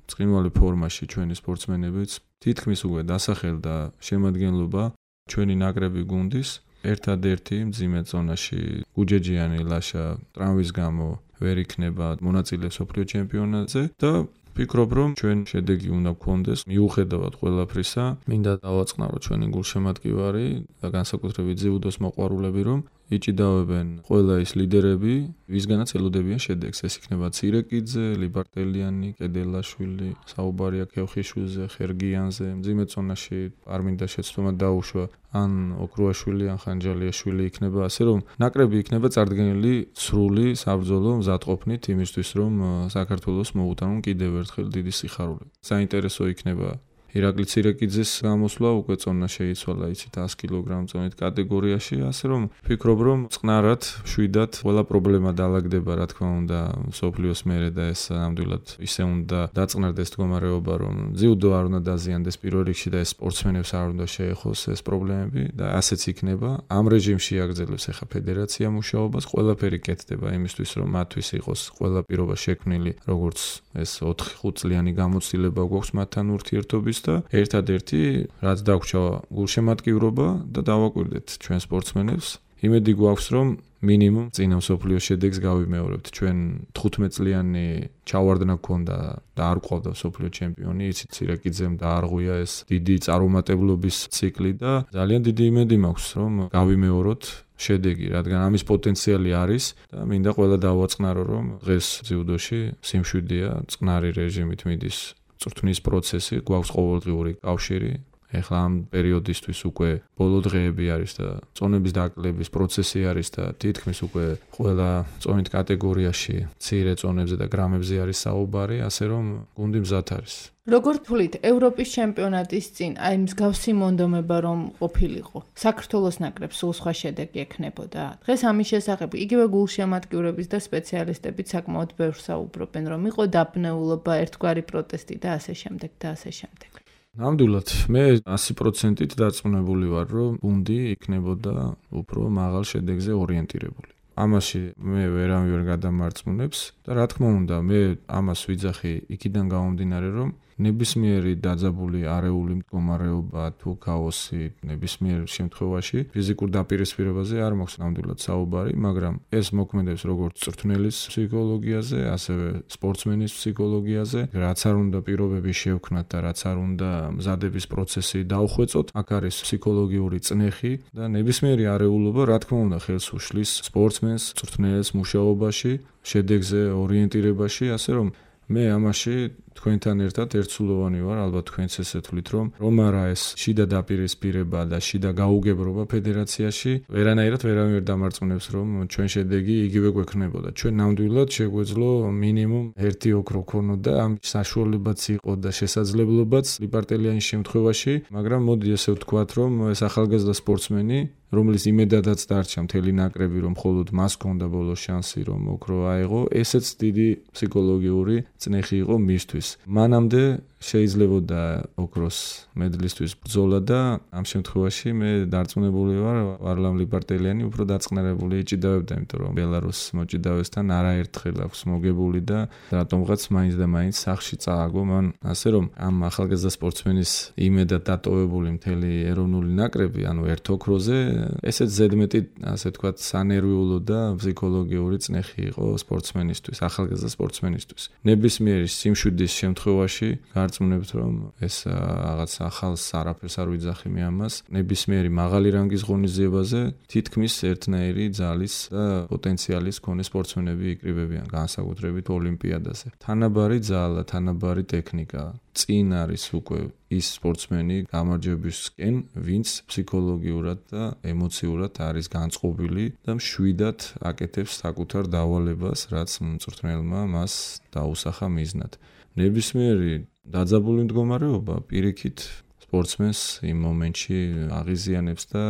წყინვალე ფორმაში ჩვენი სპორტსმენებიც, თითქმის უკვე დასახელდა შემადგენლობა ჩვენი ნაკრები გუნდის. ერთადერთი მძიმე ზონაში გუჯეჯიანი ლაშა ტრამვის გამო ვერ იქნება მონაწილე მსოფლიო ჩემპიონატზე და ვფიქრობ, რომ ჩვენ შედეგი უნდა გქონდეს მიუხედავად ყველაფრისა. მინდა დავაწყნარო ჩვენი გულშემატკივარი და განსაკუთრებით ძიუდოს მოყვარულები, რომ იჭიდავენ ყველა ის ლიდერები, ვისგანაც ელოდებიან შედეგს. ეს იქნება ცირეკიძე, ლიბარტელიანი, კედელაშვილი, საუბარია ქევხიშვილზე, ხერგიანზე, მძიმე ზონაში არ მინდა შეცდომა დაუშვა, ან ოქრუაშვილი, ან ხანჯალიაშვილი იქნება, ასე რომ ნაკრები იქნება წარდგენილი სრული საბრძოლო მზადყოფნით იმისთვის, რომ საქართველოს მოუტანონ კიდევ ერთხელ დიდი სიხარული. საინტერესო იქნება ირაკლი ცირეკიძის გამოსვლა, უკვე წონა შეიცვალა, იცით, ას კილოგრამ წონით კატეგორიაში, ასე რომ ვფიქრობ, რომ წყნარად, შვიდად ყველა პრობლემა დაალაგდება, რა თქმა უნდა, მსოფლიოს მერე და ეს ნამდვილად ისე უნდა დაწყნარდეს მდგომარეობა, რომ ძიუდო არ უნდა დაზიანდეს პირველ რიგში და ეს სპორტსმენებს არ უნდა შეეხოს ეს პრობლემები და ასეც იქნება. ამ რეჟიმში აგრძელებს ახლა ფედერაცია მუშაობას, ყველაფერი კეთდება იმისთვის, რომ მათთვის იყოს ყველა პირობა შექმნილი, როგორც ეს ოთხ ხუთ წლიანი გამოცდილება გვაქვს მათთან ურთიერთობის და ერთადერთი რაც დაგვრჩა გულშემატკივრობა და დავაკვირდეთ ჩვენ სპორტსმენებს. იმედი გვაქვს, რომ მინიმუმ წინა მსოფლიოს შედეგს გავიმეორებთ. ჩვენ თხუთმეტ წლიანი ჩავარდნა გქონდა და არ გვყავდა მსოფლიო ჩემპიონი, იცით, ცირეკიძემ დაარღვია ეს დიდი წარუმატებლობის ციკლი და ძალიან დიდი იმედი მაქვს, რომ გავიმეოროთ შედეგი, რადგან ამის პოტენციალი არის და მინდა ყველა დავაწყნარო, რომ დღეს ძიუდოში სიმშვიდეა, წყნარი რეჟიმით მიდის წვრთნის პროცესი, გვაქვს ყოველდღიური კავშირი. ეხლა ამ პერიოდისთვის უკვე ბოლო დღეები არის და წონების დაკლების პროცესი არის და თითქმის უკვე ყველა წონით კატეგორიაში მცირე წონებზე და გრამებზე არის საუბარი, ასე რომ გუნდი მზად არის. როგორ თვლით, ევროპის ჩემპიონატის წინ აი მსგავსი მონდომება რომ ყოფილიყო, საქართველოს ნაკრებს სულ სხვა შედეგი ექნებოდა. დღეს ამის შესახებ იგივე გულშემატკივრების და სპეციალისტებით საკმაოდ ბევრს საუბრობენ, რომ იყო დაბნეულობა, ერთგვარი პროტესტი და ასე შემდეგ და ასე შემდეგ. ნამდვილად, მე ასი პროცენტით დარწმუნებული ვარ, რომ გუნდი იქნებოდა უფრო მაღალ შედეგზე ორიენტირებული. ამაში მე ვერავინ ვერ გადამარწმუნებს და რა თქმა უნდა, მე ამას ვიძახი იქიდან გამომდინარე, რომ ნებისმიერი დაძაბული არეული მდგომარეობა თუ ქაოსი ნებისმიერ შემთხვევაში ფიზიკურ დაპირისპირებაზე არ მაქვს ნამდვილად საუბარი, მაგრამ ეს მოქმედებს როგორც წვრთნელის ფსიქოლოგიაზე, ასევე სპორტსმენის ფსიქოლოგიაზე, რაც არ უნდა პირობები შევქნათ და რაც არ უნდა მზადების პროცესი დაუხვეწოთ, აქ არის ფსიქოლოგიური წნეხი და ნებისმიერი არეულობა, რა თქმა უნდა, ხელს უშლის სპორტსმენს, წვრთნელს მუშაობაში, შედეგზე ორიენტირებაში, ასე რომ მე ამაში თქვენთან ერთად ერთსულოვანი ვარ, ალბათ თქვენც ესე თვლით, რომ რომ არა ეს შიდა დაპირისპირება და შიდა გაუგებრობა ფედერაციაში, ვერანაირად ვერავინ ვერ დამარწმუნებს, რომ ჩვენ შედეგი იგივე გვექნებოდა. ჩვენ ნამდვილად შეგვეძლო მინიმუმ ერთი ოქრო ქონოდა, ამ საშუალებაც იყო და შესაძლებლობაც ლიპარტელიანის შემთხვევაში, მაგრამ მოდი ესე ვთქვათ, რომ ეს ახალგაზრდა სპორტსმენი რომელიც იმედადაც დარჩა მთელი ნაკრები, რომ მხოლოდ მას ჰქონდა ბოლო შანსი, რომ ოქრო აეღო, ესეც დიდი ფსიქოლოგიური წნეხი იყო მისთვის. მანამდე შეიძლებოდა ოქროს მედლისთვის ბრძოლა და ამ შემთხვევაში მე დარწმუნებული ვარ, ვარლამ ლიპარტელიანი უფრო დაწყნარებული იჭიდავებდა, იმიტომ რომ ბელარუსს მოჭიდავესთან არაერთხელ აქვს მოგებული და რატომღაც მაინც და მაინც სახში წააგო მან. ასე რომ ამ ახალგაზრდა სპორტსმენის იმედად დატოვებული მთელი ეროვნული ნაკრები, ანუ ერთ ოქროზე, ესეც ზედმეტი, ასე ვთქვათ, სანერვიულო და ფსიქოლოგიური წნეხი იყო სპორტსმენისთვის, ახალგაზრდა სპორტსმენისთვის. ნებისმიერი სიმშვიდის შემთხვევაში გარწმუნებთ, რომ ეს რაღაც ახალს არაფერს არ ვიძახი მე ამას. ნებისმიერი მაღალი რანგის ღონისძიებაზე თითქმის ერთნაირი ძალის და პოტენციალის მქონე სპორტსმენები იკრიბებიან, განსაკუთრებით ოლიმპიადაზე. თანაბარი ძალა, თანაბარი ტექნიკა. წინ არის უკვე ის სპორტსმენი გამარჯვებისკენ, ვინც ფსიქოლოგიურად და ემოციურად არის განწყობილი და მშვიდად აკეთებს საკუთარ დავალებას, რაც მწვრთნელმა მას დაუსახა მიზნად. ნებისმიერი დაძაბული მდგომარეობა პირიქით სპორტსმენს იმ მომენტში აღიზიანებს და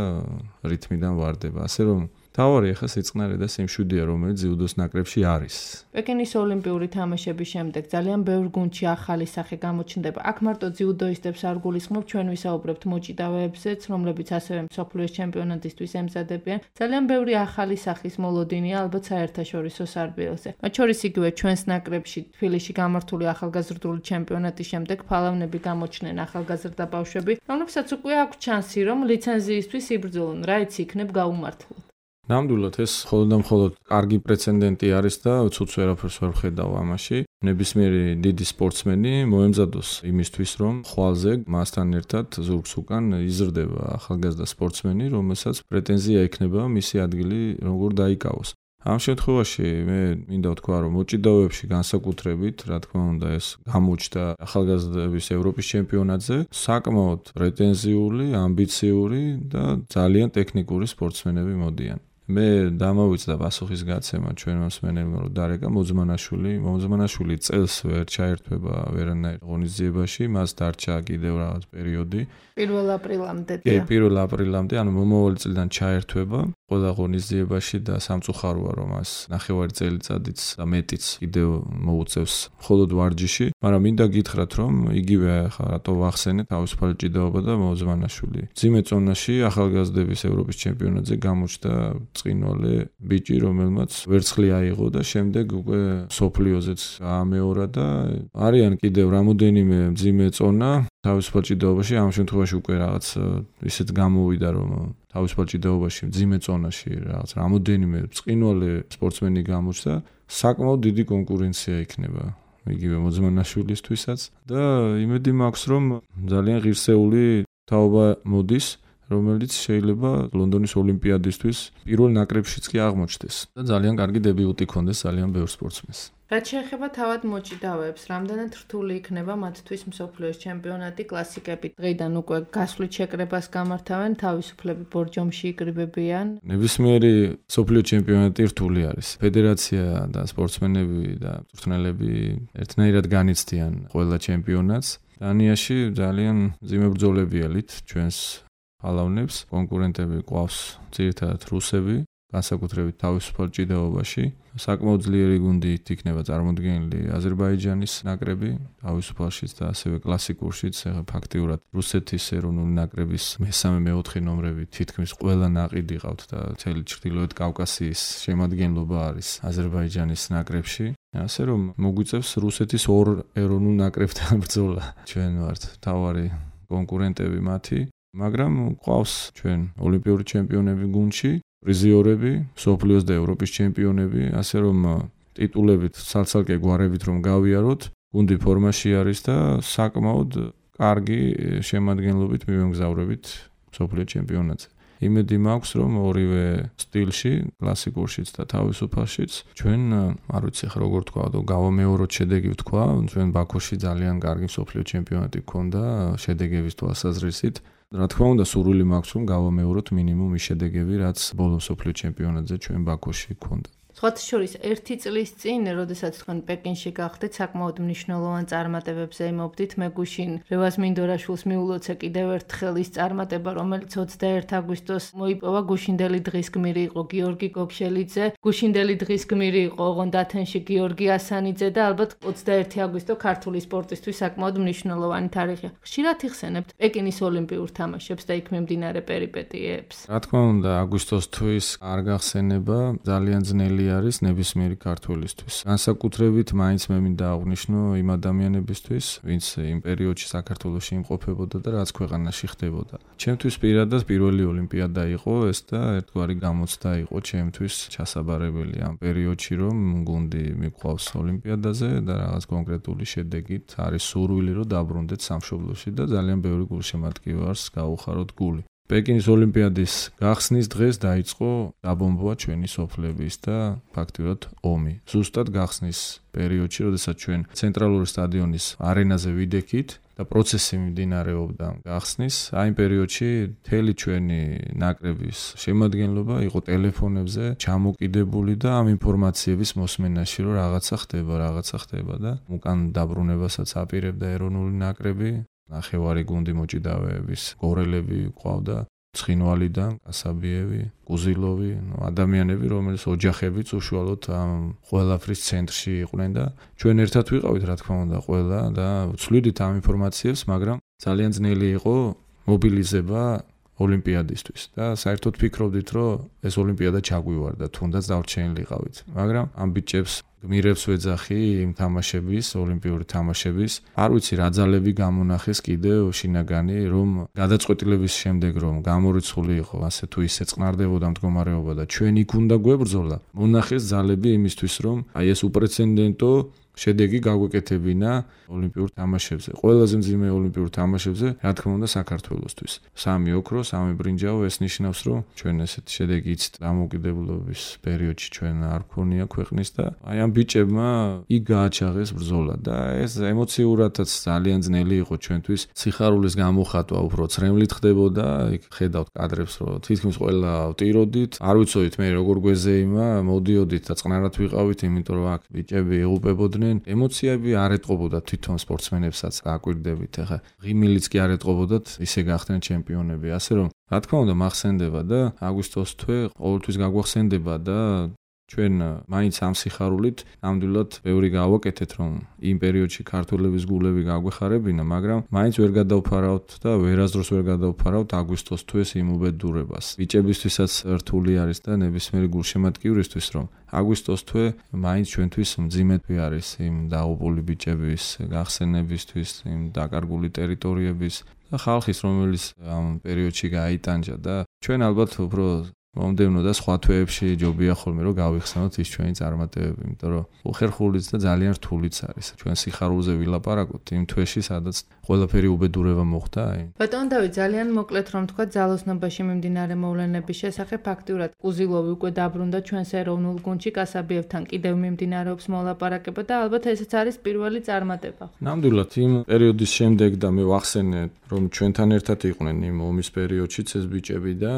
რითმიდან ვარდება. ასე რომ თავარი ახლა სიწყნარე და სიმშვიდეა, რომელიც ძიუდოს ნაკრებში არის. პეკინის ოლიმპიური თამაშების შემდეგ ძალიან ბევრ გუნდში ახალი სახე გამოჩნდება. აქ მარტო ძიუდოისტებს არ გულისხმობ, ჩვენ ვისაუბრებთ მოჭიდავეებზეც, რომლებიც ასევე მსოფლიოს ჩემპიონატისთვის ემზადებიან. ძალიან ბევრი ახალი სახის მოლოდინია ალბათ საერთაშორისო სარბიელზე. მათ შორის იგივე ჩვენს ნაკრებში თბილისში გამართული ახალგაზრდული ჩემპიონატის შემდეგ ფალავნები გამოჩნდნენ ახალგაზრდა ბავშვები, რომლებსაც უკვე აქვს ჩანსი, რომ ლიცენზიისთვის იბრძოლონ, რა იცი იქნებ გაუმართლად. ნამდვილად ეს მხოლოდ და მხოლოდ კარგი პრეცედენტი არის და ცუც ვერაფერს ვერ ვხედავ ამაში. ნებისმიერი დიდი სპორტსმენი მოემზადოს იმისთვის, რომ ხვალზე მასთან ერთად ზურგს უკან იზრდება ახალგაზრდა სპორტსმენი, რომელსაც პრეტენზია ექნება მისი ადგილი როგორ დაიკავოს. ამ შემთხვევაში მე მინდა ვთქვა, რომ მოჭიდავეებში განსაკუთრებით, რა თქმა უნდა, ეს გამოჩნდა ახალგაზრდების ევროპის ჩემპიონატზე, საკმაოდ პრეტენზიული, ამბიციური და ძალიან ტექნიკური სპორტსმენები მოდიან. მე დამავიწყდა პასუხის გაცემა ჩვენმა მსმენელმა, რომ დარეკა მოძმანაშვილი, მოძმანაშვილი წელს ვერ ჩაერთვება ვერანაირ ღონისძიებაში, მას დარჩა კიდევ რაღაც პერიოდი. პირველ აპრილამდე. კი, პირველ აპრილამდე, ანუ მომავალი წლიდან ჩაერთვება ყველა ღონისძიებაში და სამწუხაროა, რომ მას ნახევარი წელიწადიც და მეტიც კიდევ მოუწევს მხოლოდ ვარჯიში, მაგრამ მინდა გითხრათ, რომ იგივე ახლა რატო ვახსენე თავისუფალი ჭიდაობა და მოძმანაშვილი. მძიმე წონაში ახალგაზრდების ევროპის ჩემპიონატზე გამოჩნდა წინვალე ბიჭი, რომელმაც ვერცხლი აიღო და შემდეგ უკვე სოფლიოზეც გაამეორა და არიან კიდევ რამოდენიმე მძიმე წონა თავისუფალ ჭიდაობაში, ამ შემთხვევაში უკვე რაღაც ისეთ გამოვიდა, რომ თავისუფალ ჭიდაობაში მძიმე წონაში რაღაც რამოდენიმე წინვალე სპორტსმენი გამოჩნდა, საკმაოდ დიდი კონკურენცია იქნება იგივე მოძმანაშვილისთვისაც და იმედი მაქვს, რომ ძალიან ღირსეული თაობა მოდის, რომელიც შეიძლება ლონდონის ოლიმპიადისთვის პირველ ნაკრებშიც კი აღმოჩნდეს და ძალიან კარგი დებიუტი ქონდეს ძალიან ბევრ სპორტსმენს. რაც შეეხება თავად მოჭიდავეებს, რამდენად რთული იქნება მათთვის მსოფლიოს ჩემპიონატი, კლასიკები დღეიდან უკვე გასვლით შეკრებას გამართავენ, თავისუფლები ბორჯომში იკრიბებიან. ნებისმიერი მსოფლიო ჩემპიონატი რთული არის. ფედერაცია და სპორტსმენები და მწვრთნელები ერთნაირად განიცდიან ყველა ჩემპიონატს. დანიაში ძალიან მძიმე ბრძოლებიალით ჩვენს ფალავნებს, კონკურენტები ყავს ძირითადად რუსები. განსაკუთრებით თავისუფალ ჭიდაობაში. საკმაოდ ძლიერი გუნდით იქნება წარმოდგენილი აზერბაიჯანის ნაკრები, თავისუფალშიც და ასევე კლასიკურშიც, ფაქტიურად რუსეთის ეროვნული ნაკრების მესამე მეოთხე ნომრები თითქმის ყველა ნაყიდი ყავთ და მთელი ჩრდილოეთ კავკასიის შემადგენლობა არის აზერბაიჯანის ნაკრებში. ასე რომ მოგვიწევს რუსეთის ორ ეროვნულ ნაკრებთან ბრძოლა. ჩვენ ვართ მთავარი კონკურენტები მათი, მაგრამ ყავს ჩვენ ოლიმპიური ჩემპიონები გუნდში, პრიზიორები, მსოფლიოს და ევროპის ჩემპიონები, ასე რომ ტიტულებით ცალ-ცალკე გვარებით რომ გავიაროთ, გუნდი ფორმაში არის და საკმაოდ კარგი შემადგენლობით მივემგზავრებით მსოფლიო ჩემპიონატზე. იმედი მაქვს, რომ ორივე სტილში, კლასიკურშიც და თავისუფალშიც ჩვენ, არ ვიცი ხა როგორ თქვა, გავამეოროთ შედეგი ვთქვა, ჩვენ ბაქოში ძალიან კარგი მსოფლიო ჩემპიონატი გქონდა შედეგების თვალსაზრისით. რა თქმა უნდა, სურვილი მაქვს, რომ გავამეოროთ მინიმუმ ის შედეგები, რაც ბოლო მსოფლიო ჩემპიონატზე ჩვენ ბაქოში გქონდა. სხვათა შორის ერთი წლის წინ, როდესაც თქვენ პეკინში გახდეთ, საკმაოდ მნიშვნელოვან წარმატებებზე იმობდით. მე გუშინ რევაზ მინდორაშვილს მიულოცე კიდევ ერთხელ ის წარმატება, რომელიც ოცდაერთი აგვისტოს მოიპოვა. გუშინდელი დღის გმირი იყო გიორგი გოგშელიძე, გუშინდელი დღის გმირი იყო ოღონდ ათენში გიორგი ასანიძე და ალბათ ოცდაერთი აგვისტო ქართული სპორტისთვის საკმაოდ მნიშვნელოვანი თარიღია. ხშირად იხსენებთ პეკინის ოლიმპიურ თამაშებს და იქ მიმდინარე პერიპეტიებს. რა თქმა უნდა, აგვისტოს თვის არ გახსენება ძალიან ძნელი არის ნებისმიერი ქართველისთვის. განსაკუთრებით მაინც მე მინდა აღვნიშნო იმ ადამიანებისთვის, ვინც იმ პერიოდში საქართველოში იმყოფებოდა და რაც ქვეყანაში ხდებოდა. ჩემთვის პირადად პირველი ოლიმპიადა იყო ეს და ერთგვარი გამოცდა იყო ჩემთვის ჩასაბარებელი ამ პერიოდში, რომ გუნდი მიყვავს ოლიმპიადაზე და რაღაც კონკრეტული შედეგით არის სურვილი, რომ დაბრუნდეთ სამშობლოში და ძალიან ბევრი გულშემატკივარს გაუხაროთ გული. პეკინის ოლიმპიადის გახსნის დღეს დაიწყო დაბომბვა ჩვენი სოფლების და ფაქტიურად ომი. ზუსტად გახსნის პერიოდში, როდესაც ჩვენ ცენტრალური სტადიონის არენაზე ვიდექით და პროცესი მიმდინარეობდა გახსნის, აი იმ პერიოდში მთელი ჩვენი ნაკრების შემადგენლობა იყო ტელეფონებზე ჩამოკიდებული და ამ ინფორმაციების მოსმენაში, რომ რაღაცა ხდება, რაღაცა ხდება და უკან დაბრუნებასაც აპირებდა ეროვნული ნაკრები. ნახევარი გუნდი მოჭიდავეების გორელები ყავდა ცხინვალიდან, კასაბიევი, კუზილოვი, ადამიანები, რომელიც ოჯახებიც უშუალოდ ამ ყველაფრის ცენტრში იყვნენ და ჩვენ ერთად ვიყავით, რა თქმა უნდა, ყველა და ვცვლიდით ამ ინფორმაციებს, მაგრამ ძალიან ძნელი იყო მობილიზება ოლიმპიადისთვის და საერთოდ ფიქრობდით, რომ ეს ოლიმპიადა ჩაგვივარდა, თუნდაც დავრჩენილიყავით. მაგრამ ამ ბიჭებს გმირებს ვეძახი იმ თამაშების, ოლიმპიური თამაშების. არ ვიცი რა ძალები გამონახეს კიდევ შინაგანი, რომ გადაწყვეტილების შემდეგ რომ გამორიცხული იყო, ასე თუ ისე წყნარდებოდა მდგომარეობა და ჩვენ იქ უნდა გვებრძოლა. მონახეს ძალები იმისთვის, რომ აი ეს უპრეცედენტო შედეგი გაგვეკეთებინა ოლიმპიურ თამაშებზე. ყველაზე მძიმე ოლიმპიურ თამაშებზე, რა თქმა უნდა, საქართველოსთვის. სამი ოქრო, სამი ბრინჯაო, ეს ნიშნავს, რომ ჩვენ ესეთი შედეგი იცით დამოუკიდებლობის პერიოდში ჩვენ არ გქონია ქვეყნის და აი ამ ბიჭებმა იქ გააჩაღეს ბრძოლა და ეს ემოციურადაც ძალიან ძნელი იყო ჩვენთვის. სიხარულის გამოხატვა უფრო ცრემლით ხდებოდა, იქ ხედავთ კადრებს, რომ თითქმის ყველა ვტიროდით, არ ვიცოდით მე როგორ გვეზეიმა, მოდიოდით და წყნარად ვიყავით, იმიტომ რომ აქ ბიჭები ეღუპებოდნენ. ემოციები არ ეტყობოდათ თვითონ სპორტსმენებსაც გააკვირდებით. ახლა ღიმილიც კი არ ეტყობოდათ, ისე გახდნენ ჩემპიონები. ასე რომ, რა თქმა უნდა, მახსენდება და აგვისტოს თვე ყოველთვის გაგვახსენდება და ჩვენ მაინც ამ სიხარულით ნამდვილად ბევრი გავაკეთეთ, რომ იმ პერიოდში ქართველების გულები გაგვეხარებინა, მაგრამ მაინც ვერ გადავფარავთ და ვერასდროს ვერ გადავფარავთ აგვისტოს თვეს იმ უბედურებას. ბიჭებისთვისაც რთული არის და ნებისმიერი გულშემატკივრისთვის, რომ აგვისტოს თვე მაინც ჩვენთვის მძიმე თვე არის იმ დაღუპული ბიჭების გახსენებისთვის, იმ დაკარგული ტერიტორიების და ხალხის, რომელიც ამ პერიოდში გაიტანჯა და ჩვენ ალბათ უფრო მომდევნო და სხვა თვეებში ჯობია ხოლმე რომ გავიხსენოთ ის ჩვენი წარმატებები, იმიტომ რომ უხერხულიც და ძალიან რთულიც არის. ჩვენ სიხარულზე ვილაპარაკოთ იმ თვეში, სადაც ყველაფერი უბედურება მოხდა. ბატონ დავით, ძალიან მოკლედ რომ თქვა ძალოსნობაში მიმდინარე მოვლენების შესახებ, ფაქტიურად კუზილოვი უკვე დაბრუნდა ჩვენს ეროვნულ გუნდში, კასაბიევთან კიდევ მიმდინარეობს მოლაპარაკება და ალბათ ესეც არის პირველი წარმატება. ნამდვილად იმ პერიოდის შემდეგ და მე ვახსენე, რომ ჩვენთან ერთად იყვნენ იმ ომის პერიოდშიც ეს ბიჭები და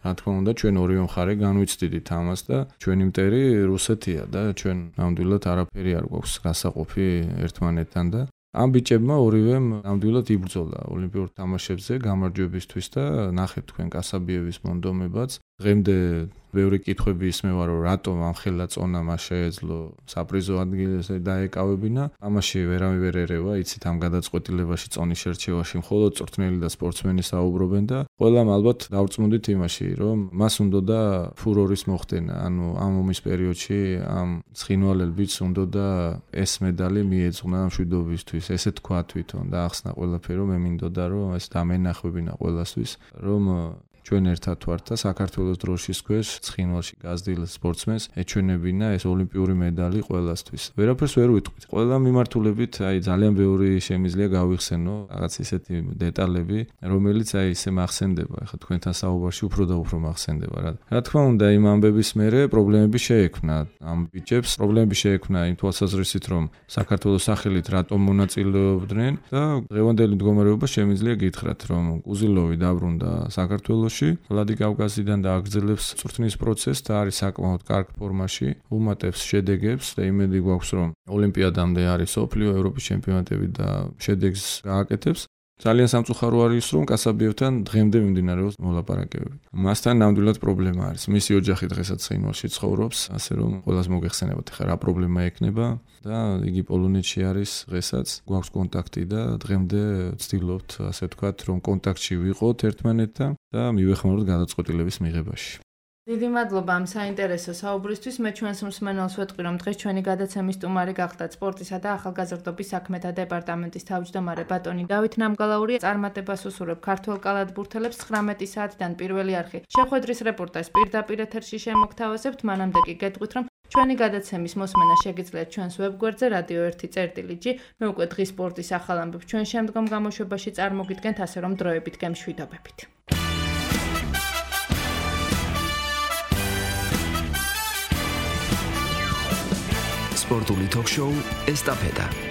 რა თქმა უნდა ჩვენ ორივე მხარე განვიცდიდით ამას და ჩვენი მტერი რუსეთია და ჩვენ ნამდვილად არაფერი არ გვაქვს გასაყოფი ერთმანეთთან და ამ ბიჭებმა ორივემ ნამდვილად იბრძოლა ოლიმპიურ თამაშებზე გამარჯვებისთვის და ნახეთ თქვენ კასაბიევის მონდომებაც დღემდე ბევრი კითხვები ისმევა, რომ რატომ ამ ხელაწონამ შეეძლო საპრიზო ადგილზე დაეკავებინა. ამაში ვერავინ ვერ ერევა, იცით ამ გადაწყვეტილებაში, წონის შერჩევაში მხოლოდ წვრთნელი და სპორტსმენი საუბრობენ და ყველამ ალბათ დავწმუნდით იმაში, რომ მას უნდოდა ფურორის მოხდენა. ანუ ამ ომის პერიოდში ამ ცხინვალელ ბიჭს უნდოდა ეს მედალი მიეძღვნა მშვიდობისთვის, ესე თქვა თვითონ და ახსნა ყველაფერი, რომ მე მინდოდა, რომ ეს დამენახვებინა ყველასთვის, რომ ჩვენ ერთად ვართ და საქართველოს დროშის ქვეშ ცხინვალში გაზრდილ სპორტსმენს ეჩვენებინა ეს ოლიმპიური მედალი ყველასთვის. ვერაფერს ვერ ვიტყვით. ყველა მიმართულებით აი ძალიან ბევრი შემიძლია გავიხსენო რაღაც ისეთი დეტალები, რომელიც აი ისე მახსენდება. ახლა თქვენთან საუბარში უფრო და უფრო მახსენდება რა. რა თქმა უნდა, იმ ამბების მერე პრობლემები შეექმნა ამ ბიჭებს. პრობლემები შეექმნა იმ თვალსაზრისით, რომ საქართველოს სახელით რატომ მონაწილეობდნენ და დღევანდელი მდგომარეობა შემიძლია გითხრათ, რომ უზილოვი დაბრუნდა საქართველოში ვლადიკავკაზიდან და აგრძელებს წვრთნის პროცესს და არის საკმაოდ კარგ ფორმაში, უმატებს შედეგებს და იმედი გვაქვს, რომ ოლიმპიადამდე არის სოფლიო, ევროპის ჩემპიონატები და შედეგს გააკეთებს. ძალიან სამწუხარო არის, რომ კასაბიევთან დღემდე მიმდინარეობს მოლაპარაკებები. მასთან ნამდვილად პრობლემა არის. მისი ოჯახი დღესაც ცხინვალში ცხოვრობს, ასე რომ ყველას მოგეხსენებათ, ხა რა პრობლემა ექნება და იგი პოლონეთში არის დღესაც, გვაქვს კონტაქტი და დღემდე ვცდილობთ, ასე ვთქვათ, რომ კონტაქტში ვიყოთ ერთმანეთთან და მივეხმაროთ გადაწყვეტილების მიღებაში. დიდი მადლობა ამ საინტერესო საუბრისთვის. მე ჩვენს მსმენელს ვეთყვი, რომ დღეს ჩვენი გადაცემის სტუმარი გახდათ სპორტისა და ახალგაზრდობის საქმეთა დეპარტამენტის თავმჯდომარე ბატონი დავით ნამგალაური. წარმატებას უსურვებ ქართველ კალათბურთელებს ცხრამეტი საათიდან პირველი არხი შეხვედრის რეპორტაჟს პირდაპირ ეთერში შემოგთავაზებთ. მანამდე კი გეტყვით, რომ ჩვენი გადაცემის მოსმენა შეგიძლიათ ჩვენს ვებგვერდზე რადიო ერთი წერტილი ჯი. მე უკვე დღის სპორტის ახალ ამბებს ჩვენ შემდგომ გამოშვებაში წარმოგიდგენთ, ასე რომ დროებით გემშვიდობებით. სპორტული თოქ-შოუ ესტაფეტა.